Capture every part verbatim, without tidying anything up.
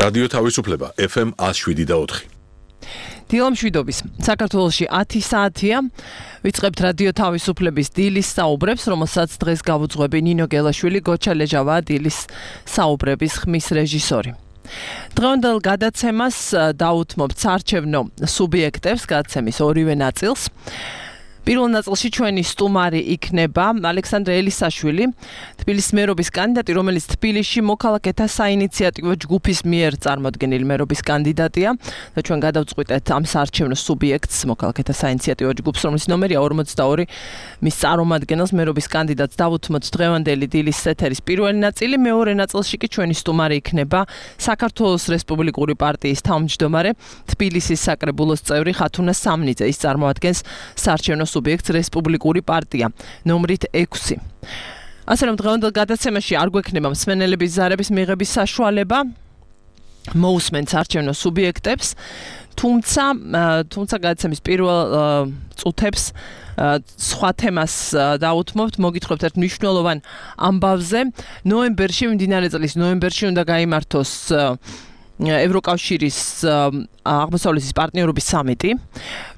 რადიო თავისუფლება ეფ ემ ათს შვიდი და ოთხი. დილამშვიდობის. საქართველოში ათი საათია. ვიწყებთ რადიო თავისუფლების დილის საუბრებს, რომელსაც დღეს გავუძღვები ნინო გელაშვილი, გოჩა ლეჟავა, დილის საუბრების ხმის რეჟისორი. დღევანდელ გადაცემას დაუთმობთ საარჩევნო სუბიექტებს, გადაცემის ორივე ნაწილს. პირველ ნაწილში ჩვენი სტუმარი იქნება ალექსანდრე ელისაშვილი, თბილისის მერობის კანდიდატი, რომელიც თბილისში მოქალაქეთა საინიციატივო ჯგუფის მიერ წარმოდგენილი მერობის კანდიდატია და ჩვენ გადავწყვიტეთ ამ საარჩევნო სუბიექტს, მოქალაქეთა საინიციატივო ჯგუფს, რომლის ნომერია ორმოცდაორი, მის წარმომადგენელს მერობის კანდიდატს დავუთმოთ დღევანდელი დილის ეთერის პირველი ნაწილი. მეორე ნაწილში კი ჩვენი სტუმარი იქნება საქართველოს რესპუბლიკური პარტიის თავმჯდომარე, თბილისის საკრებულოს წევრი ხათუნა სამნიძე. ის წარმოადგენს საარჩევნო სუბიექტს რესპუბლიკური პარტია ნომრით ექვსი. ასე რომ დღევანდელ გადაცემაში არ გვექნება მსმენელების ზარების მიღების საშუალება, მოусმენთ საარჩევნო სუბიექტებს, თუმცა თუმცა გადაცემის პირველ წუთებს სხვა თემას დაუთმობთ, მოგითხრობთ ერთ მნიშვნელოვან ამბავზე. ნოემბერში, მდინარე წლის ნოემბერში უნდა გაიმართოს ევროკავშირის აღმოსავლეთის პარტნიორობის სამიტი,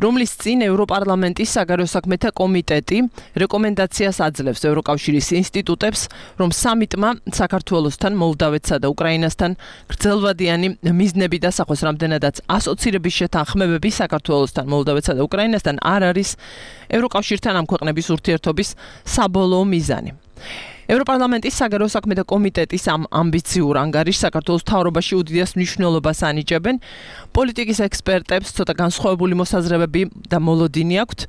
რომლის წინ ევროპარლამენტის საგარეო საქმეთა კომიტეტი რეკომენდაციას აძლევს ევროკავშირის ინსტიტუტებს, რომ სამიტმა საქართველოსთან, მოლდავეთსა და უკრაინასთან გრძელვადიანი მიზნები დასახოს, რამდენადაც ასოცირების შეთანხმებები საქართველოსთან, მოლდავეთსა და უკრაინასთან არ არის ევროკავშირთან ამ ქვეყნების ურთიერთობის საბოლოო მიზანი. ევროპარლამენტის საგარეო საქმეთა კომიტეტის ამ ამბიციურ ანგარიშს საქართველოს მთავრობაში უდიდეს მნიშვნელობას ანიჭებენ. პოლიტიკის ექსპერტებს ცოტა განსხვავებული მოსაზრებები და მოლოდინი აქვთ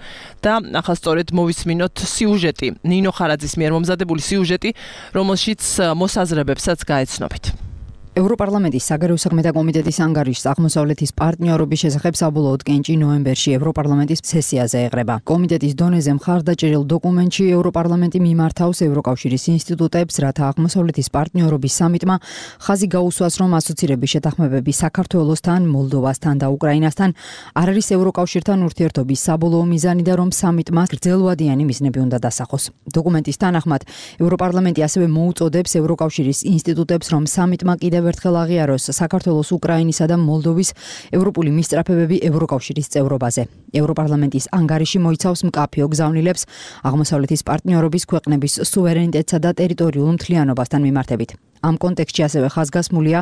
და ახლა სწორედ მოვისმინოთ სიუჟეტი, ნინო ხარაძის მიერ მომზადებული სიუჟეტი, რომელშიც მოსაზრებებსაც გაეცნობით. ევროპარლამენტის საგარეო საქმეთა კომიტეტის ანგარიშს აღმოსავლეთის პარტნიორობის შესახებ საბოლოოდ კენჭი ნოემბერში ევროპარლამენტის სესიაზე ეღრება. კომიტეტის დონეზე მხარდაჭერილ დოკუმენტში ევროპარლამენტი მიმართავს ევროკავშირის ინსტიტუტებს, რათა აღმოსავლეთის პარტნიორობის სამიტმა ხაზი გაუსვას, რომ ასოცირების შეთანხმებები საქართველოსთან, მოლდოვასთან და უკრაინასთან არ არის ევროკავშირთან ურთიერთობის საბოლოო მიზანი და რომ სამიტმა გრძელვადიანი მიზნები უნდა დასახოს. დოკუმენტის თანახმად ევროპარლამენტი ასევე მოუწოდებს ევროკავშირის ინსტიტუტებს, რომ სამიტმა კიდევ ერთხელ აღიაროს საქართველოს, უკრაინისა და მოლდოვის ევროპული მისწრაფებები ევროკავშირის წევრობაზე. ევროპარლამენტის ანგარიში მოიცავს მკაფიო გზავნილებს აღმოსავლეთის პარტნიორობის ქვეყნების სუვერენიტეტსა და ტერიტორიულ მთლიანობასთან მიმართებით. ამ კონტექსტში ასევე ხაზგასმულია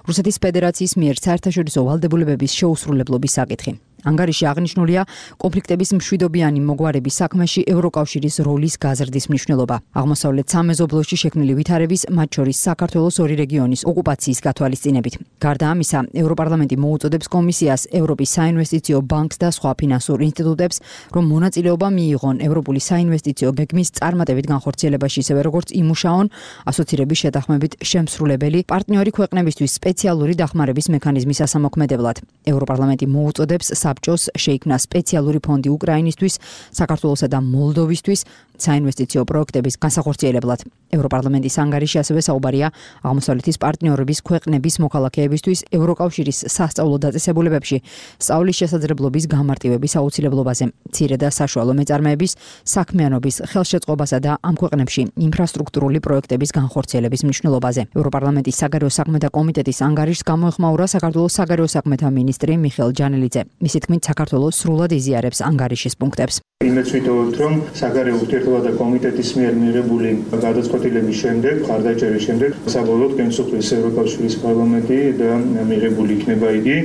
რუსეთის ფედერაციის მიერ საერთაშორისო ვალდებულებების შეუსრულებლობის საკითხი. ანგარიში აღნიშნულია კონფლიქტების მშვიდობიანი მოგვარების საქმეში ევროკავშირის როლის გაზრდის მნიშვნელობა. აღმოსავლეთ სამეზობლოში შექმნილი ვითარების, მათ შორის საქართველოს ორი რეგიონის ოკუპაციის გათვალისწინებით. გარდა ამისა, ევროპარლამენტი მოუწოდებს კომისიას, ევროპის საინვესტიციო ბანკს და სხვა ფინანსურ ინსტიტუტებს, რომ მონაწილეობა მიიღონ ევროპული საინვესტიციო გეგმის წარმატებით განხორციელებაში, ისევე როგორც იმუშაონ ასოცირების შეთანხმებით შემსრულებელი პარტნიორი ქვეყნებისთვის სპეციალური დახმარების მექანიზმის ასამოქმედებლად. ევროპარლამენტი მოუწოდებს საბჭოს შეიქმნა სპეციალური ფონდი უკრაინისთვის, საქართველოსა და მოლდოვისთვის საინვესტიციო პროექტების განსახორციელებლად. ევროპარლამენტის ანგარიში ასევე საუბარია აღმოსავლეთის პარტნიორობის ქვეყნების მოქალაქეებისთვის ევროკავშირის სასწავლო დაწესებულებებში სწავლის შესაძლებლობის გამარტივების აუცილებლობაზე, მცირე და საშუალო მეწარმეების საქმიანობის ხელშეწყობასა და ამ ქვეყნებში ინფრასტრუქტურული პროექტების განხორციელების მნიშვნელობაზე. ევროპარლამენტის საგარეო საქმეთა კომიტეტის ანგარიშს გამოეხმაურა საქართველოს საგარეო საქმეთა მინისტრი მიხეილ ჯანელიძე. მისი თქმით, საქართველოს სრულად იზიარებს ანგარიშის პუნქტებს. იმედს ვიტოვებთ, რომ საგარეო ურთიერთობათა კომიტეტის მიერ მიღებული გადაწყვეტილების შემდეგ, მხარდაჭერის შემდეგ, საბოლოოდ გენსუხლის ევროკავშირის პარლამენტი და მიღებული იქნება იგი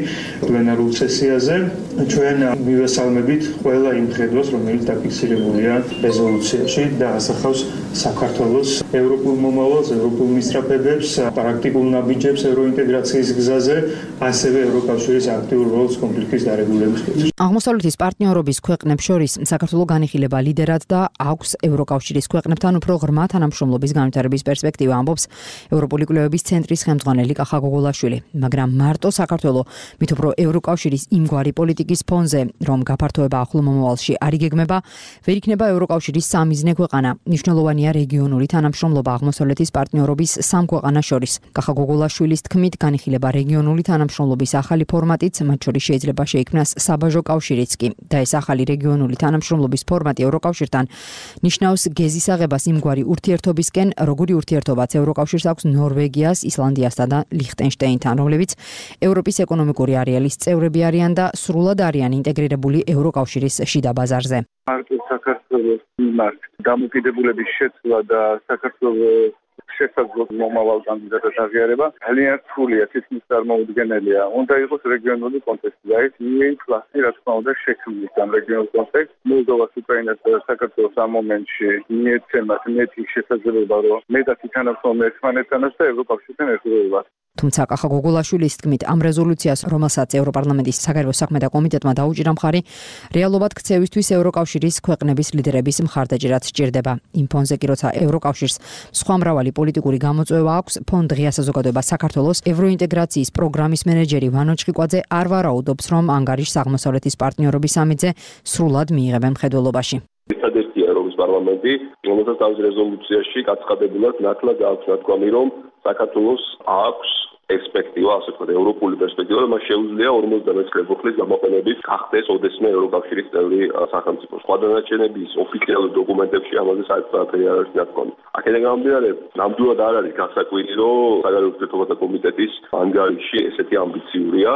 პლენარულ სესიაზე. ჩვენ მივესალმებით ყველა იმ ხედვას, რომელიც დაფიქსირებულია რეზოლუციაში და ასახავს საქართველოს ევროპულ მომავალს, ევროპულ მისწრაფებებს, პრაქტიკულ ნაბიჯებს ევროინტეგრაციის გზაზე, ასევე ევროკავშირის აქტიურ როლს კონფლიქტის დარეგულირების კუთხეში. აღმოსავლეთის პარტნიორობის ქვეყნებს შორის საქართველო განიხილება ლიდერად და აქვს ევროკავშირის ქვეყნებთან უფრო ღრმა თანამშრომლობის განვითარების პერსპექტივა, ამბობს ევროპული კვლევების ცენტრის ხელმძღვანელი კახა გოგოლაშვილი. მაგრამ მარტო საქართველო მით უფრო ევროკავშირის იმგვარი პოლიტიკის პოლიტიკის ფონზე, რომ გაფართოება ახლო მომავალში არ იგეგმება, ვერ იქნება ევროკავშირის სამიზნე ქვეყანა. მნიშვნელოვანია რეგიონული თანამშრომლობა აღმოსავლეთის პარტნიორობის სამ ქვეყანას შორის. კახა გოგოლაშვილის თქმით, განიხილება რეგიონული თანამშრომლობის ახალი ფორმატიც, მათ შორის შეიძლება შეიქმნას საბაჟო კავშირიც კი. და ეს ახალი რეგიონული თანამშრომლობის ფორმატი ევროკავშირთან ნიშნავს გეზის აღებას იმგვარი ურთიერთობისკენ, როგორი ურთიერთობაც ევროკავშირს აქვს ნორვეგიას, ისლანდიასთან და ლიხტენშტეინთან, რომლებიც ევროპის ეკონომიკური არეალის წევრები არიან და სრულად არიან ინტეგრირებული ევროკავშირის შიდა ბაზარზე. მარტო საქართველოს მიმართ დამოკიდებულების შეცვლა და საქართველოს შესაძლო მომავალ კანდიდატად აღიარება ძალიან რთულია, თითქმის წარმოუდგენელია. უნდა იყოს რეგიონული კონტექსტი და ეს ინფლაცია, რა თქმა უნდა, შექმნის ამ რეგიონულ კონტექსტს. მოლდოვას, უკრაინას და საქართველოს ამ მომენტში მიეცემათ მეტი შესაძლებლობა, რომ მეტად ითანამშრომლონ ერთმანეთთანაც და ევროკავშირთან ერთგულებად. თუმცა კახა გოგოლაშვილის თქმით, ამ რეზოლუციას, რომელსაც ევროპარლამენტის საგარეო საქმეთა კომიტეტმა დაუჭირა მხარი, რეალობად ქცევისთვის ევროკავშირის ქვეყნების ლიდერების მხარდაჭერაც სჭირდება. იმ ფონზე კი როცა ევროკავშირს სხვა მრავალი პოლიტიკური გამოწვევა აქვს, ფონდ ღია საზოგადოება საქართველოს ევროინტეგრაციის პროგრამის მენეჯერი ვანო ჩხიკვაძე არ ვარაუდობს, რომ ანგარიშს აღმოსავლეთის პარტნიორობის სამიტზე სრულად მიიღებენ მხედველობაში. ერთადერთია ევროპის პარლამენტი, რომელსაც თავის რეზოლუციაში გაცხადებულად ნათლად აქვს ნათქვამი, რომ საქართველოს აქვს პერსპექტივა, ასე ვთქვათ, ევროპული პერსპექტივა, რომ მას შეუძლია ორმოცდამეცხრე წლის გამოყენებით გახდეს ოდესმე ევროკავშირის წევრი სახელმწიფო. სხვა დანარჩენების ოფიციალურ დოკუმენტებში ამაზე საერთოდ არ არის ნათქვამი. აქედან გამომდინარე, ნამდვილად არ არის გასაკვირი, რომ საგარეო ურთიერთობათა კომიტეტის ანგარიში ესეთი ამბიციურია,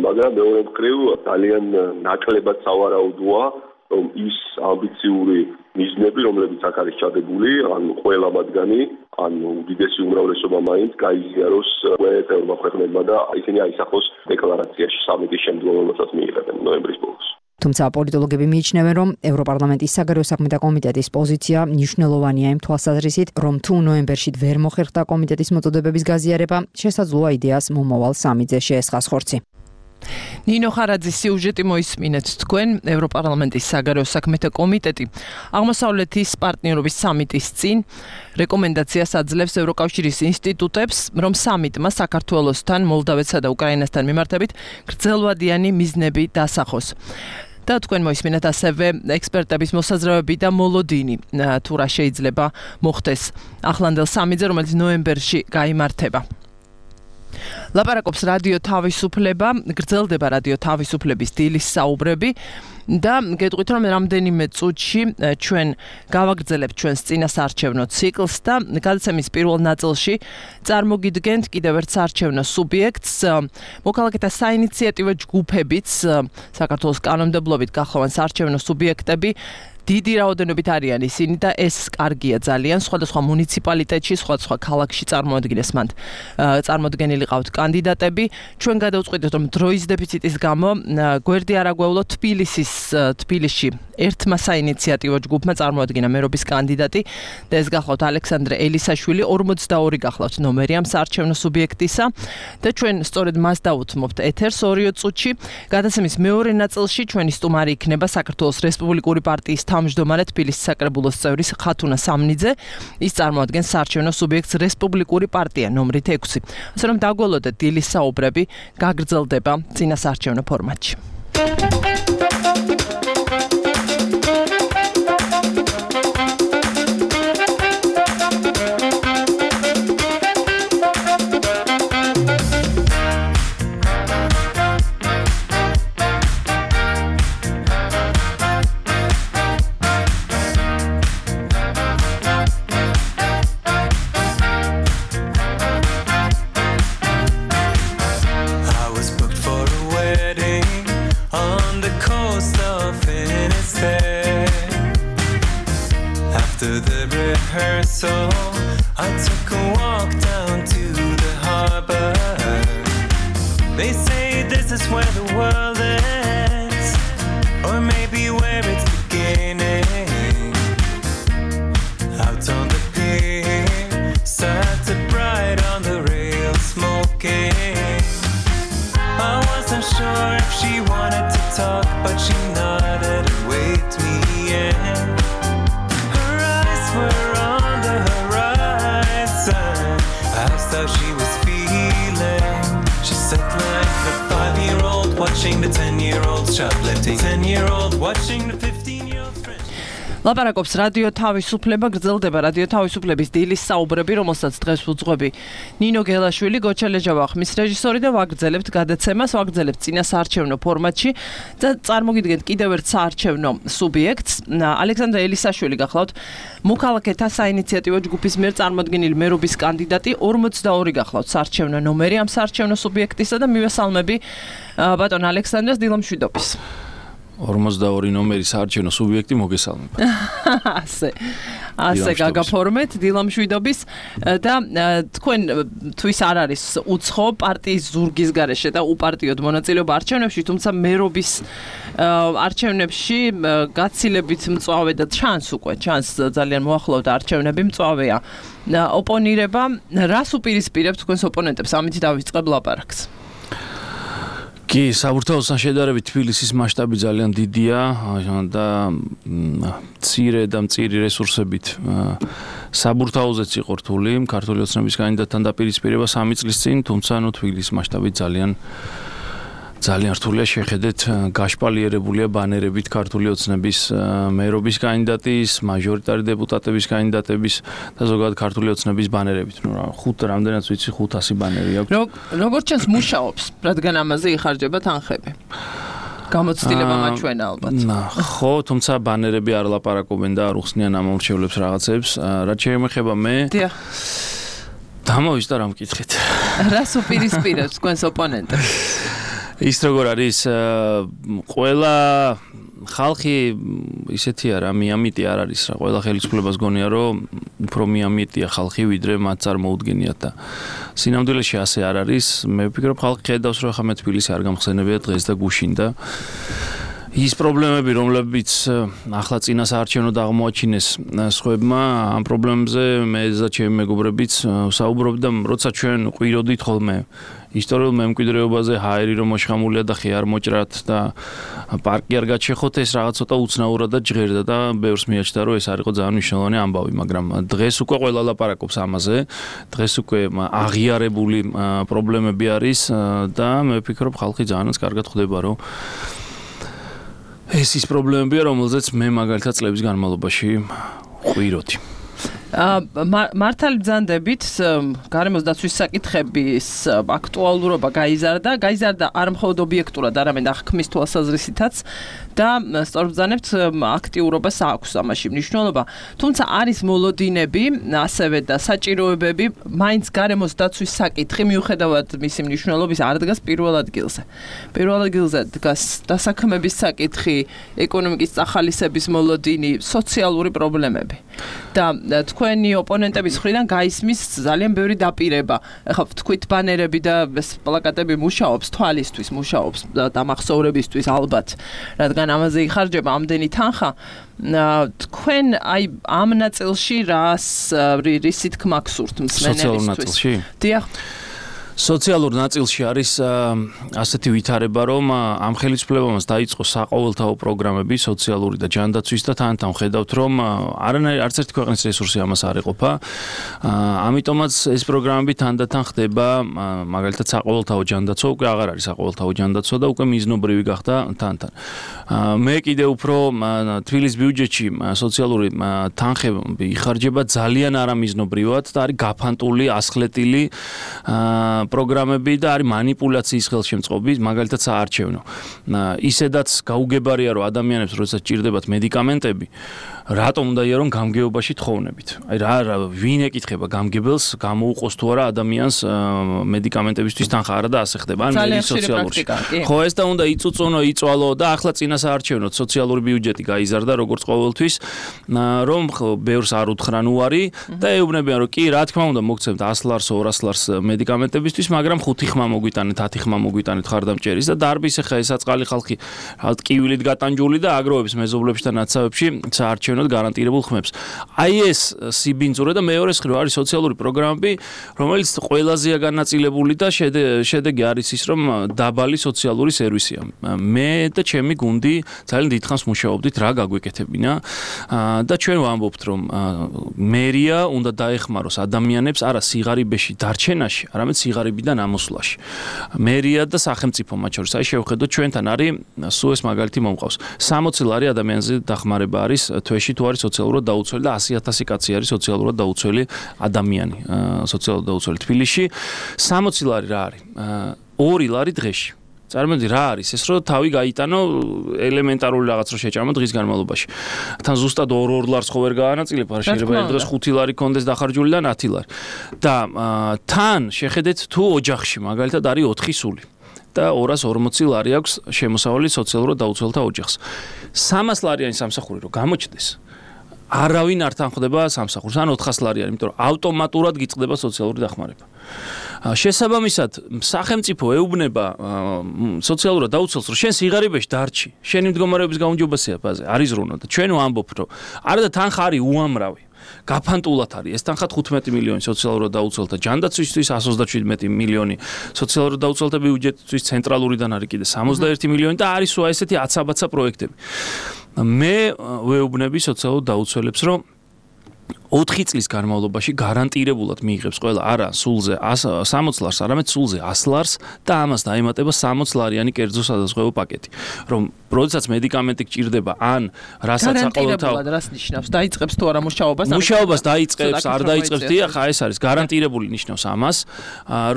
მაგრამ მეორე მხრივ ძალიან ნაკლებად სავარაუდოა, რომ ის ამბიციური მიზნები, რომლებიც აქ არის ჩადებული, ან ყველა მათგანი, ან უდიდესი უმრავლესობა მაინც გაიზიაროს ყველა ქვეყნებმა და ისინი აისახოს დეკლარაციაში სამიტის შემდგომ, რომელსაც მიიღებენ ნოემბრის ბოლოს. თუმცა პოლიტოლოგები მიიჩნევენ, რომ ევროპარლამენტის საგარეო საქმეთა კომიტეტის პოზიცია მნიშვნელოვანია იმ თვალსაზრისით, რომ თუ ნოემბერში ვერ მოხერხდა კომიტეტის მოწოდებების გაზიარება, შესაძლოა იდეას მომავალ სამიტზე შეესხას ხორცი. ნინო ხარაძის სიუჟეტი მოისმინეთ თქვენ. ევროპარლამენტის საგარეო საქმეთა კომიტეტი აღმოსავლეთის პარტნიორობის სამიტის წინ რეკომენდაციას აძლევს ევროკავშირის ინსტიტუტებს, რომ სამიტმა საქართველოსთან, მოლდავეთსა და უკრაინასთან მიმართებით გრძელვადიანი მიზნები დასახოს. და თქვენ მოისმინეთ ასევე ექსპერტების მოსაზრებები და მოლოდინი, თუ რა შეიძლება მოხდეს ახლანდელ სამიტზე, რომელიც ნოემბერში გაიმართება. ლაპარაკობს რადიო თავისუფლება, გრძელდება რადიო თავისუფლების დილის საუბრები და გეტყვით, რომ რამდენიმე წუთში ჩვენ გავაგრძელებთ ჩვენს წინასაარჩევნო ციკლს და გადაცემის პირველ ნაწილში წარმოგიდგენთ კიდევ ერთ საარჩევნო სუბიექტს, მოქალაქეთა საინიციატივო ჯგუფებიც, საქართველოს კანონმდებლობით გახლოვან საარჩევნო სუბიექტები დიდი რაოდენობით არიან ისინი და ეს კარგია ძალიან. სხვადასხვა მუნიციპალიტეტში, სხვადასხვა ქალაქში წარმოადგენს მანდ წარმოდგენილი ყავთ კანდიდატები. ჩვენ გადავწყვიტეთ, რომ დროის დეფიციტის გამო გვერდი არ აგვევლო თბილისის თბილისში ერთმა საინიციატივო ჯგუფმა წარმოადგინა მერობის კანდიდატი და ეს გახლავთ ალექსანდრე ელისაშვილი, ორმოცდაორი გახლავთ ნომერი ამ საარჩევნო სუბიექტისა და ჩვენ სწორედ მას დავუთმობთ ეთერს ორიო წუთში. გადაცემის მეორე ნაწილში ჩვენი სტუმარი იქნება საქართველოს რესპუბლიკური პარტიის თავმჯდომარე თბილისის საკრებულოს წევრი ხათუნა სამნიძე. ის წარმოადგენს საარჩევნო სუბიექტს რესპუბლიკური პარტია ნომრით ექვსი. ასე რომ დაგველოდეთ დილის საუბრები გაგრძელდება წინასაარჩევნო ფორმატში. I took a walk down to the harbor. They say this is where the world ends, or maybe where it's beginning. Out on the pier, sat a bride on the rail smoking. I wasn't sure if she wanted to talk, but she nodded and waved me in. Her eyes were on the horizon. I asked how she was feeling. She said like a five-year-old watching the ten-year-old shot ten-year-old watching the fifteen-year-old friend. ლაპარაკობს რადიო თავისუფლება, გრძელდება რადიო თავისუფლების დილის საუბრები, რომელსაც დღეს უძღვები ნინო გელაშვილი, გოჩა ლეჯავა ხმის რეჟისორი და ვაგრძელებთ გადაცემას, ვაგრძელებთ წინა საარჩევნო ფორმატში და წარმოგიდგენთ კიდევ ერთ საარჩევნო სუბიექტს. ალექსანდრე ელისაშვილი გახლავთ, მოქალაქეთა საინიციატივო ჯგუფის მიერ წარმოდგენილი მერობის კანდიდატი, ორმოცდაორი გახლავთ საარჩევნო ნომერი ამ საარჩევნო სუბიექტისა და მივესალმები ბატონ ალექსანდრეს დილამშვიდობის. ორმოცდაორი ნომერი საარჩევნო სუბიექტი მოგესალმება. ასე ასე გაგაფორმეთ დილამშვიდობის და თქვენ თვის არ არის უცხო პარტიის ზურგის გარეშე და უპარტიოდ მონაწილეობა არჩევნებში, თუმცა მერობის არჩევნებში გაცილებით მწვავე და ჩანს უკვე, ჩანს ძალიან მოახლოვდა არჩევნები მწვავეა. ოპონირება, რას უპირისპირებთ თქვენს ოპონენტებს? ამით დავიწყებ ლაპარაკს. კი, საბურთალოსთან შედარებით თბილისის მასშტაბი ძალიან დიდია და მცირე და მწირი რესურსებით საბურთალოზეც იყო რთული ქართული ოცნების კანდიდატთან დაპირისპირება სამი წლის წინ, თუმცა ნუ თბილისის მასშტაბით ძალიან ძალიან რთულია შეხედეთ გაშპალიერებულია ბანერებით ქართული ოცნების მერობის კანდიდატის, მაჟორიტარი დეპუტატების კანდიდატების და ზოგადად ქართული ოცნების ბანერებით. ნუ რა, ხუთ რამდენად ვიცი, ხუთასი ბანერი აქვს. როგორც ჩანს მუშაობს, რადგან ამაზე იხარჯება თანხები. გამოცდილება მაჩვენა ალბათ. ხო, თუმცა ბანერები არ ლაპარაკობენ და არ უხსნიან ამომრჩევლებს რაღაცებს. რაც შეემეხება მე დიახ. დამოვიწყდა რა მკითხეთ. რას უპირისპირებს თქვენს ოპონენტებს? ის როგორ არის ყველა ხალხი ისეთია რა, მიამიტი არ არის რა, ყველა ხელისუფლებას გონია რომ უფრო მიამიტია ხალხი ვიდრე მათ წარმოუდგენიათ და სინამდვილეში ასე არ არის. მე ვფიქრობ ხალხი ხედავს რომ ხა მე თბილისი არ გამხსენებია დღეს და გუშინ და ის პრობლემები, რომლებიც ახლა წინა საარჩევნოდ აღმოაჩინეს სხვებმა, ამ პრობლემებზე მე და ჩემი მეგობრებიც საუბრობთ და როცა ჩვენ ყვიროდით ხოლმე ისტორიულ მემკვიდრეობაზე ჰაერი რომ მოშხამულია და ხე არ მოჭრათ და პარკი არ გაჩეხოთ, ეს რაღაც ცოტა უცნაურად და ჟღერდა და ბევრს მიაჩნდა რომ ეს არ იყო ძალიან მნიშვნელოვანი ამბავი, მაგრამ დღეს უკვე ყველა ლაპარაკობს ამაზე. დღეს უკვე აღიარებული პრობლემები არის და მე ვფიქრობ ხალხი ძალიან კარგად ხვდება რომ ეს ის პრობლემებია, რომელზეც მე მაგალითად წლების განმავლობაში ყვიროდი. მართალი ბრძანდებით გარემოს დაცვის საკითხების აქტუალურობა გაიზარდა, გაიზარდა არ მხოლოდ ობიექტურად, არამედ აღქმის თვალსაზრისითაც და სწორბრძანებთ აქტიურობას აქვს ამაში მნიშვნელობა. თუმცა არის მოლოდინები, ასევე და საჭიროებები, მაინც გარემოს დაცვის საკითხი მიუხედავად მისი მნიშვნელობის არ დგას პირველ ადგილზე. პირველ ადგილზე დგას დასაქმების საკითხი, ეკონომიკის წახალისების მოლოდინი, სოციალური პრობლემები. და თქვენი ოპონენტების მხრიდან გაისმის ძალიან ბევრი დაპირება. ეხლა თქვით ბანერები და ეს პლაკატები მუშაობს, თვალისთვის მუშაობს და დამახსოვრებისთვის ალბათ, რადგან ამაზე იხარჯება ამდენი თანხა. თქვენ აი ამ ნაწილში რას რისი თქმა გსურთ მსმენელისთვის? დიახ. სოციალურ ნაწილში არის ასეთი ვითარება, რომ ამ ხელისუფლებამაც დაიწყო საყოველთაო პროგრამები სოციალური და ჯანდაცვის და თან-თან ხედავთ, რომ არანაირი არც ერთი ქვეყნის რესურსი ამას არ ეყოფა. ამიტომაც ეს პროგრამები თანდათან ხდება, მაგალითად საყოველთაო ჯანდაცვა უკვე აღარ არის საყოველთაო ჯანდაცვა და უკვე მიზნობრივი გახდა თან-თან. მე კიდე უფრო თბილისის ბიუჯეტში სოციალური თანხები იხარჯება ძალიან არამიზნობრივად და არის გაფანტული, ასხლეტილი პროგრამები და არის манипуляციის ხელშემწყობი, მაგალითად საარჩევნო. ისედაც გაუგებარია რომ ადამიანებს როდესაც ჭირდებათ მედიკამენტები, რატომ უნდაია რომ გამგეობაში თხოვნებით? აი რა რა ვინ ეკითხება გამგებელს, გამოუყოს თუ არა ადამიანს მედიკამენტებისთვის თანხა არა და ასე ხდება. ან მე სოციალურში. ხო, ეს და უნდა იწუწუნო, იწვალო და ახლა წინა საარჩევნოდ სოციალური ბიუჯეტი გაიზარდა როგორც ყოველთვის, რომ ბევრს არ უთხრან უარი და ეუბნებიან რომ კი, რა თქმა უნდა, მოგცემთ ას ლარს, ორას ლარს მედიკამენტებისთვის, მაგრამ ხუთი ხმა მოგვიტანეთ, ათი ხმა მოგვიტანეთ ხარდამჭერის და დარბის ახლა ეს აწყალი ხალხი, ალბათ კივილით გატანჯული და აგროვებს მეზობლებში და ნაცავებში საარჩევნო მოგეცემოთ გარანტირებულ ხმებს. აი ეს სიბინძურე და მეორე მხრივ არის სოციალური პროგრამები, რომელიც ყველაზეა განაწილებული და შედეგი არის ის, რომ დაბალი სოციალური სერვისია. მე და ჩემი გუნდი ძალიან დიდხანს მუშაობდით რა გაგვეკეთებინა და ჩვენ ვამბობთ, რომ მერია უნდა დაეხმაროს ადამიანებს არა სიღარიბეში დარჩენაში, არამედ სიღარიბიდან ამოსვლაში. მერია და სახელმწიფო მათ შორის. აი შევხედოთ ჩვენთან არის სულ ეს მაგალითი მომყავს. სამოცი ლარი ადამიანზე დახმარება არის თვეში თუ არის სოციალურად დაუცველი და ასი ათასი კაცი არის სოციალურად დაუცველი ადამიანი, სოციალურად დაუცველი თბილისში. სამოცი ლარი რა არის? ორი ლარი დღეში. წარმოიდგინე რა არის ეს, რომ თავი გაიტანო ელემენტარული რაღაც რო შეჭამო დღის განმავლობაში. თან ზუსტად ორ-ორ ლარს ხო ვერ გაანაწილებ, არა შეიძლება ერთ დღეს ხუთი ლარი კონდეს დახარჯული და ათი ლარი. და თან შეხედეთ თუ ოჯახში მაგალითად არის ოთხი სული. და ორას ორმოცი ლარი აქვს შემოსავალი სოციალურად დაუცველთა ოჯახს. სამას ლარიანი სამსახური რო გამოჩნდეს, არავინ არ თანხდება სამსახურს, ან ოთხას ლარიანი, იმიტომ რომ ავტომატურად გიწყდება სოციალური დახმარება. შესაბამისად, სახელმწიფო ეუბნება სოციალურად დაუცველს, რომ შენ სიღარიბეში დარჩი, შენი მდგომარეობის გაუმჯობესება ბაზე არის ზრუნვა და ჩვენ ვამბობთ, რომ არა და თანხა არის უამრავი. გაფანტულად არის ეს თანხა თხუთმეტი მილიონი სოციალურად დაუცველთა ჯანდაცვისთვის, εκατს ოცდაშვიდმეტი მილიონი სოციალურად დაუცველთა ბიუჯეტისთვის, ცენტრალურიდან არის კიდე სამოცდაერთი მილიონი და არის სულ ესეთი აცაბაცა პროექტები. მე ვეუბნები სოციალურად დაუცველებს, რომ ოთხი წლის განმავლობაში გარანტირებულად მიიღებს ყველა არა სულზე სამოცი ლარს, არამედ სულზე ასი ლარს და ამას დაემატება სამოცი ლარიანი კერძო სადაზღვევო პაკეტი. რომ როდესაც მედიკამენტი გჭირდება, ან რასაც საყოველთაო გარანტირებულად რას ნიშნავს? დაიწყებს თუ არა მუშაობას? მუშაობას დაიწყებს, არ დაიწყებს, დიახ, ეს არის გარანტირებული ნიშნავს ამას,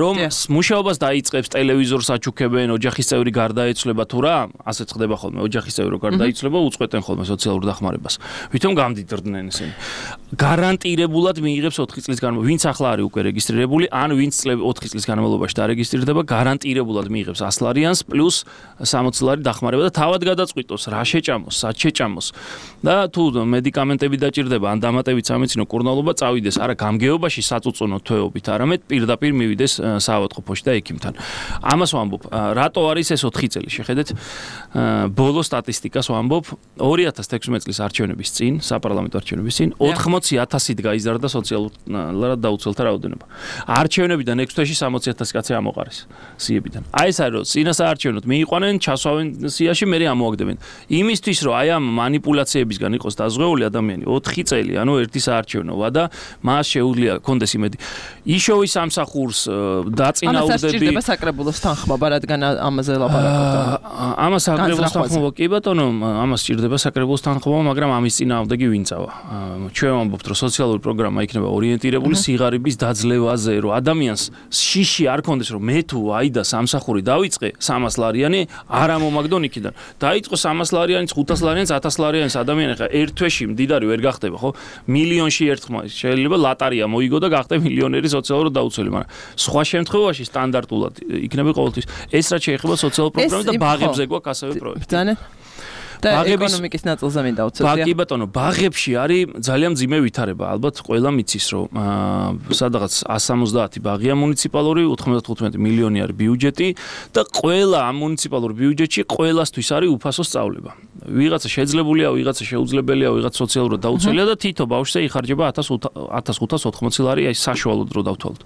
რომ მუშაობას დაიწყებს, ტელევიზორს აჩუქებენ, ოჯახის წევრი გარდაეცვლება თუ რა, ასეც ხდება ხოლმე, ოჯახის წევრი გარდაიცვლება, უწყვეტენ ხოლმე სოციალურ დახმარებას. ვითომ გამდიდრდნენ ესენი. გარანტირებულად მიიღებს ოთხი წლის განმავლობაში, ვინც ახლა არის უკვე რეგისტრირებული, ან ვინც ოთხი წლის განმავლობაში დარეგისტრირდება, გარანტირებულად მიიღებს ასი ლარიანს პლუს სამოცი ლარი დახმარება და თავად გადაწყვიტოს რა შეჭამოს, სად შეჭამოს და თუ მედიკამენტები დაჭირდება, ან დამატებით სამედიცინო კურნალობა წავიდეს არა გამგეობაში საწუწუნო თვეობით, არამედ პირდაპირ მივიდეს საავადმყოფოში და ექიმთან. ამას ვამბობ, რატო არის ეს ოთხი წელი? შეხედეთ, ბოლო სტატისტიკას ვამბობ, ორი ათას თექვსმეტი წლის არჩევნების წინ, საპარლამენტო არჩევნების წინ, ოთხმოცი ათასით გაიზარდა სოციალურად დაუცველთა რაოდენობა. არჩევნებიდან ექვს თვეში სამოცი ათასი კაცი ამოყარეს სიებიდან. აი ეს არის, რომ წინასაარჩევნოდ მიიყვანენ, ჩასვავენ სიაში, მე ამოაგდებენ. იმისთვის, რომ აი ამ манипуляციებისგან იყოს დაზღვეული ადამიანი ოთხი წელი, ანუ ერთი საარჩევნოა და მას შეუძლია კონდეს იმედი. იშოვის სამსახურს დაწინაურდები. ამას სჭირდება საკრებულოს თანხმობა, რადგან ამაზე ლაპარაკობთ. ამას საკრებულოს თანხმობა კი ბატონო, ამას სჭირდება საკრებულოს თანხმობა, მაგრამ ამის წინააღმდეგი ვინ წავა? ჩვენ ვამბობთ, რომ სოციალური პროგრამა იქნება ორიენტირებული სიღარიბის დაძლევაზე, რომ ადამიანს შიში არ კონდეს, რომ მე თუ აიდა სამსახური დავიწყე სამას ლარიანი, არ ამომაგდონ იქიდან. დაიწყო სამას ლარიანიც, ხუთას ლარიანიც, ათას ლარიანიც ადამიანი ხა ერთ თვეში მდიდარი ვერ გახდება, ხო? მილიონში ერთხმა შეიძლება ლატარია მოიგო და გახდა მილიონერი სოციალურად დაუცველი, მაგრამ სხვა შემთხვევაში სტანდარტულად იქნება ყოველთვის. ეს რაც შეეხება სოციალურ პროგრამებს და ბაღებზე გვაქვს ასევე პროექტი. ბრძაnen და ეკონომიკის ნაწილზე მინდა უცოდია. კი ბატონო, ბაღებში არის ძალიან მძიმე ვითარება. ალბათ ყველა მიცის, რომ სადღაც εκατს სამოცდაათი ბაღია მუნიციპალური, ოთხმოცდათხუთმეტი მილიონი არის ბიუჯეტი და ყველა ამ მუნიციპალურ ბიუჯეტში ყველასთვის არის უფასო სწავლება. ვიღაცა შეძლებულია, ვიღაცა შეუძლებელია, ვიღაცა სოციალურად დაუცველია და თითო ბავშვზე იხარჯება ათას ხუთას ოთხმოცი ლარი, აი საშუალოდ რო დავთვალოთ.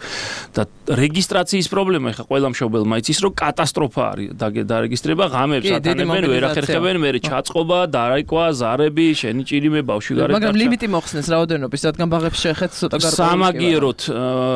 და რეგისტრაციის პრობლემა ხა ყველა მშობელმა იცის, რომ კატასტროფა არის დარეგისტრება, ღამებს ატანებენ, ვერ ახერხებენ, მე ჩაწყობა, დარაიკვა, ზარები, შენი ჭირიმე ბავშვი გარეთ. მაგრამ ლიმიტი მოხსნეს რაოდენობის, რადგან ბაღებში შეეხეთ ცოტა გარკვეული. სამაგიეროდ,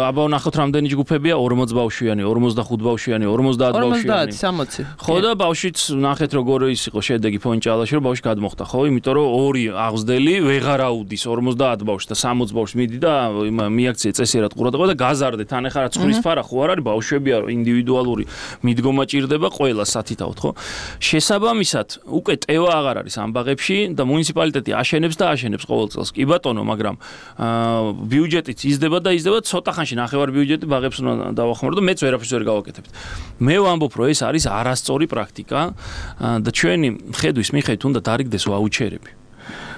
აბა ვნახოთ რამდენი ჯგუფებია, ორმოცი ბავშვიანი, ორმოცდახუთ ბავშვიანი, ორმოცდაათ ბავშვიანი. ორმოცდაათი, სამოცი. ხო და ბავშვიც ნახეთ როგორ ის იყო შედეგი ფონჭალაში, რომ ბავშვი გადმოხდა, ხო? იმიტომ რომ ორი აღზრდელი ვეღარ აუდის ორმოცდაათ ბავშვს და სამოცი ბავშვს მიდი და მიაქცია წესიერად ყურადღება და გაზარდე თან ახლა რა ცხვრის ფარა ხო არ არის ბავშვებია, რომ ინდივიდუალური მიდგომა ჭირდება ყველა სათითაოდ, ხო? შესაბამისად, უკვე ტევა აღარ არის ამ ბაღებში და მუნიციპალიტეტი აშენებს და აშენებს ყოველ წელს. კი ბატონო, მაგრამ ბიუჯეტიც იზრდება და იზრდება, ცოტა ხანში ნახევარ ბიუჯეტი ბაღებს უნდა დავახმარო და მეც ვერაფერს ვერ გავაკეთებთ. მე ვამბობ, რომ ეს არის არასწორი პრაქტიკა და ჩვენი ხედვის მიხედვით უნდა დარიგდეს ვაუჩერები.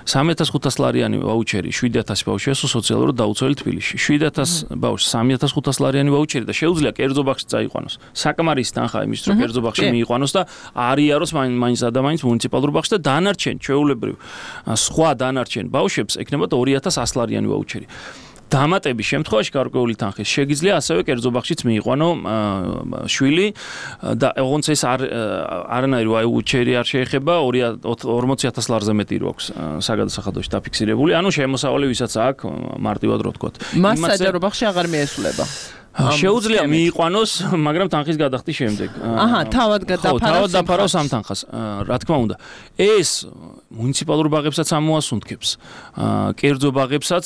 სამი ათას ხუთას ლარიანი ვაუჩერი, შვიდი ათასი ბავშვია სოციალურად დაუცველი თბილისში. შვიდი ათას ბავშვს სამი ათას ხუთას ლარიანი ვაუჩერი და შეუძლია კერძო ბაღში წაიყვანოს. საკმარის თანხა იმის რომ კერძო ბაღში მიიყვანოს და არიაროს მაინც ადამიანს მუნიციპალურ ბაღში და დანარჩენ ჩვეულებრივ სხვა დანარჩენ ბავშვებს ექნებათ ორი ათას ასი ლარიანი ვაუჩერი. დამატების შემთხვევაში გარკვეული თანხის შეგიძლია ასევე კერძო ბაღშიც მიიყვანო შვილი და ოღონდ ეს არ არანაირი ვაუჩერი არ შეეხება ორმოცი ათას ლარზე მეტი რო აქვს საგადასახადოში დაფიქსირებული. ანუ შემოსავალი ვისაც აქვს მარტივად რო თქვათ. მას საჯარო ბაღში აღარ მიესულება. შეუძლია მიიყვანოს, მაგრამ თანხის გადახდის შემდეგ. აჰა, თავად გადაფარავს. თავად დაფარავს ამ თანხას. რა თქმა უნდა. ეს მუნიციპალურ ბაღებსაც ამოასუნთქებს. კერძო ბაღებსაც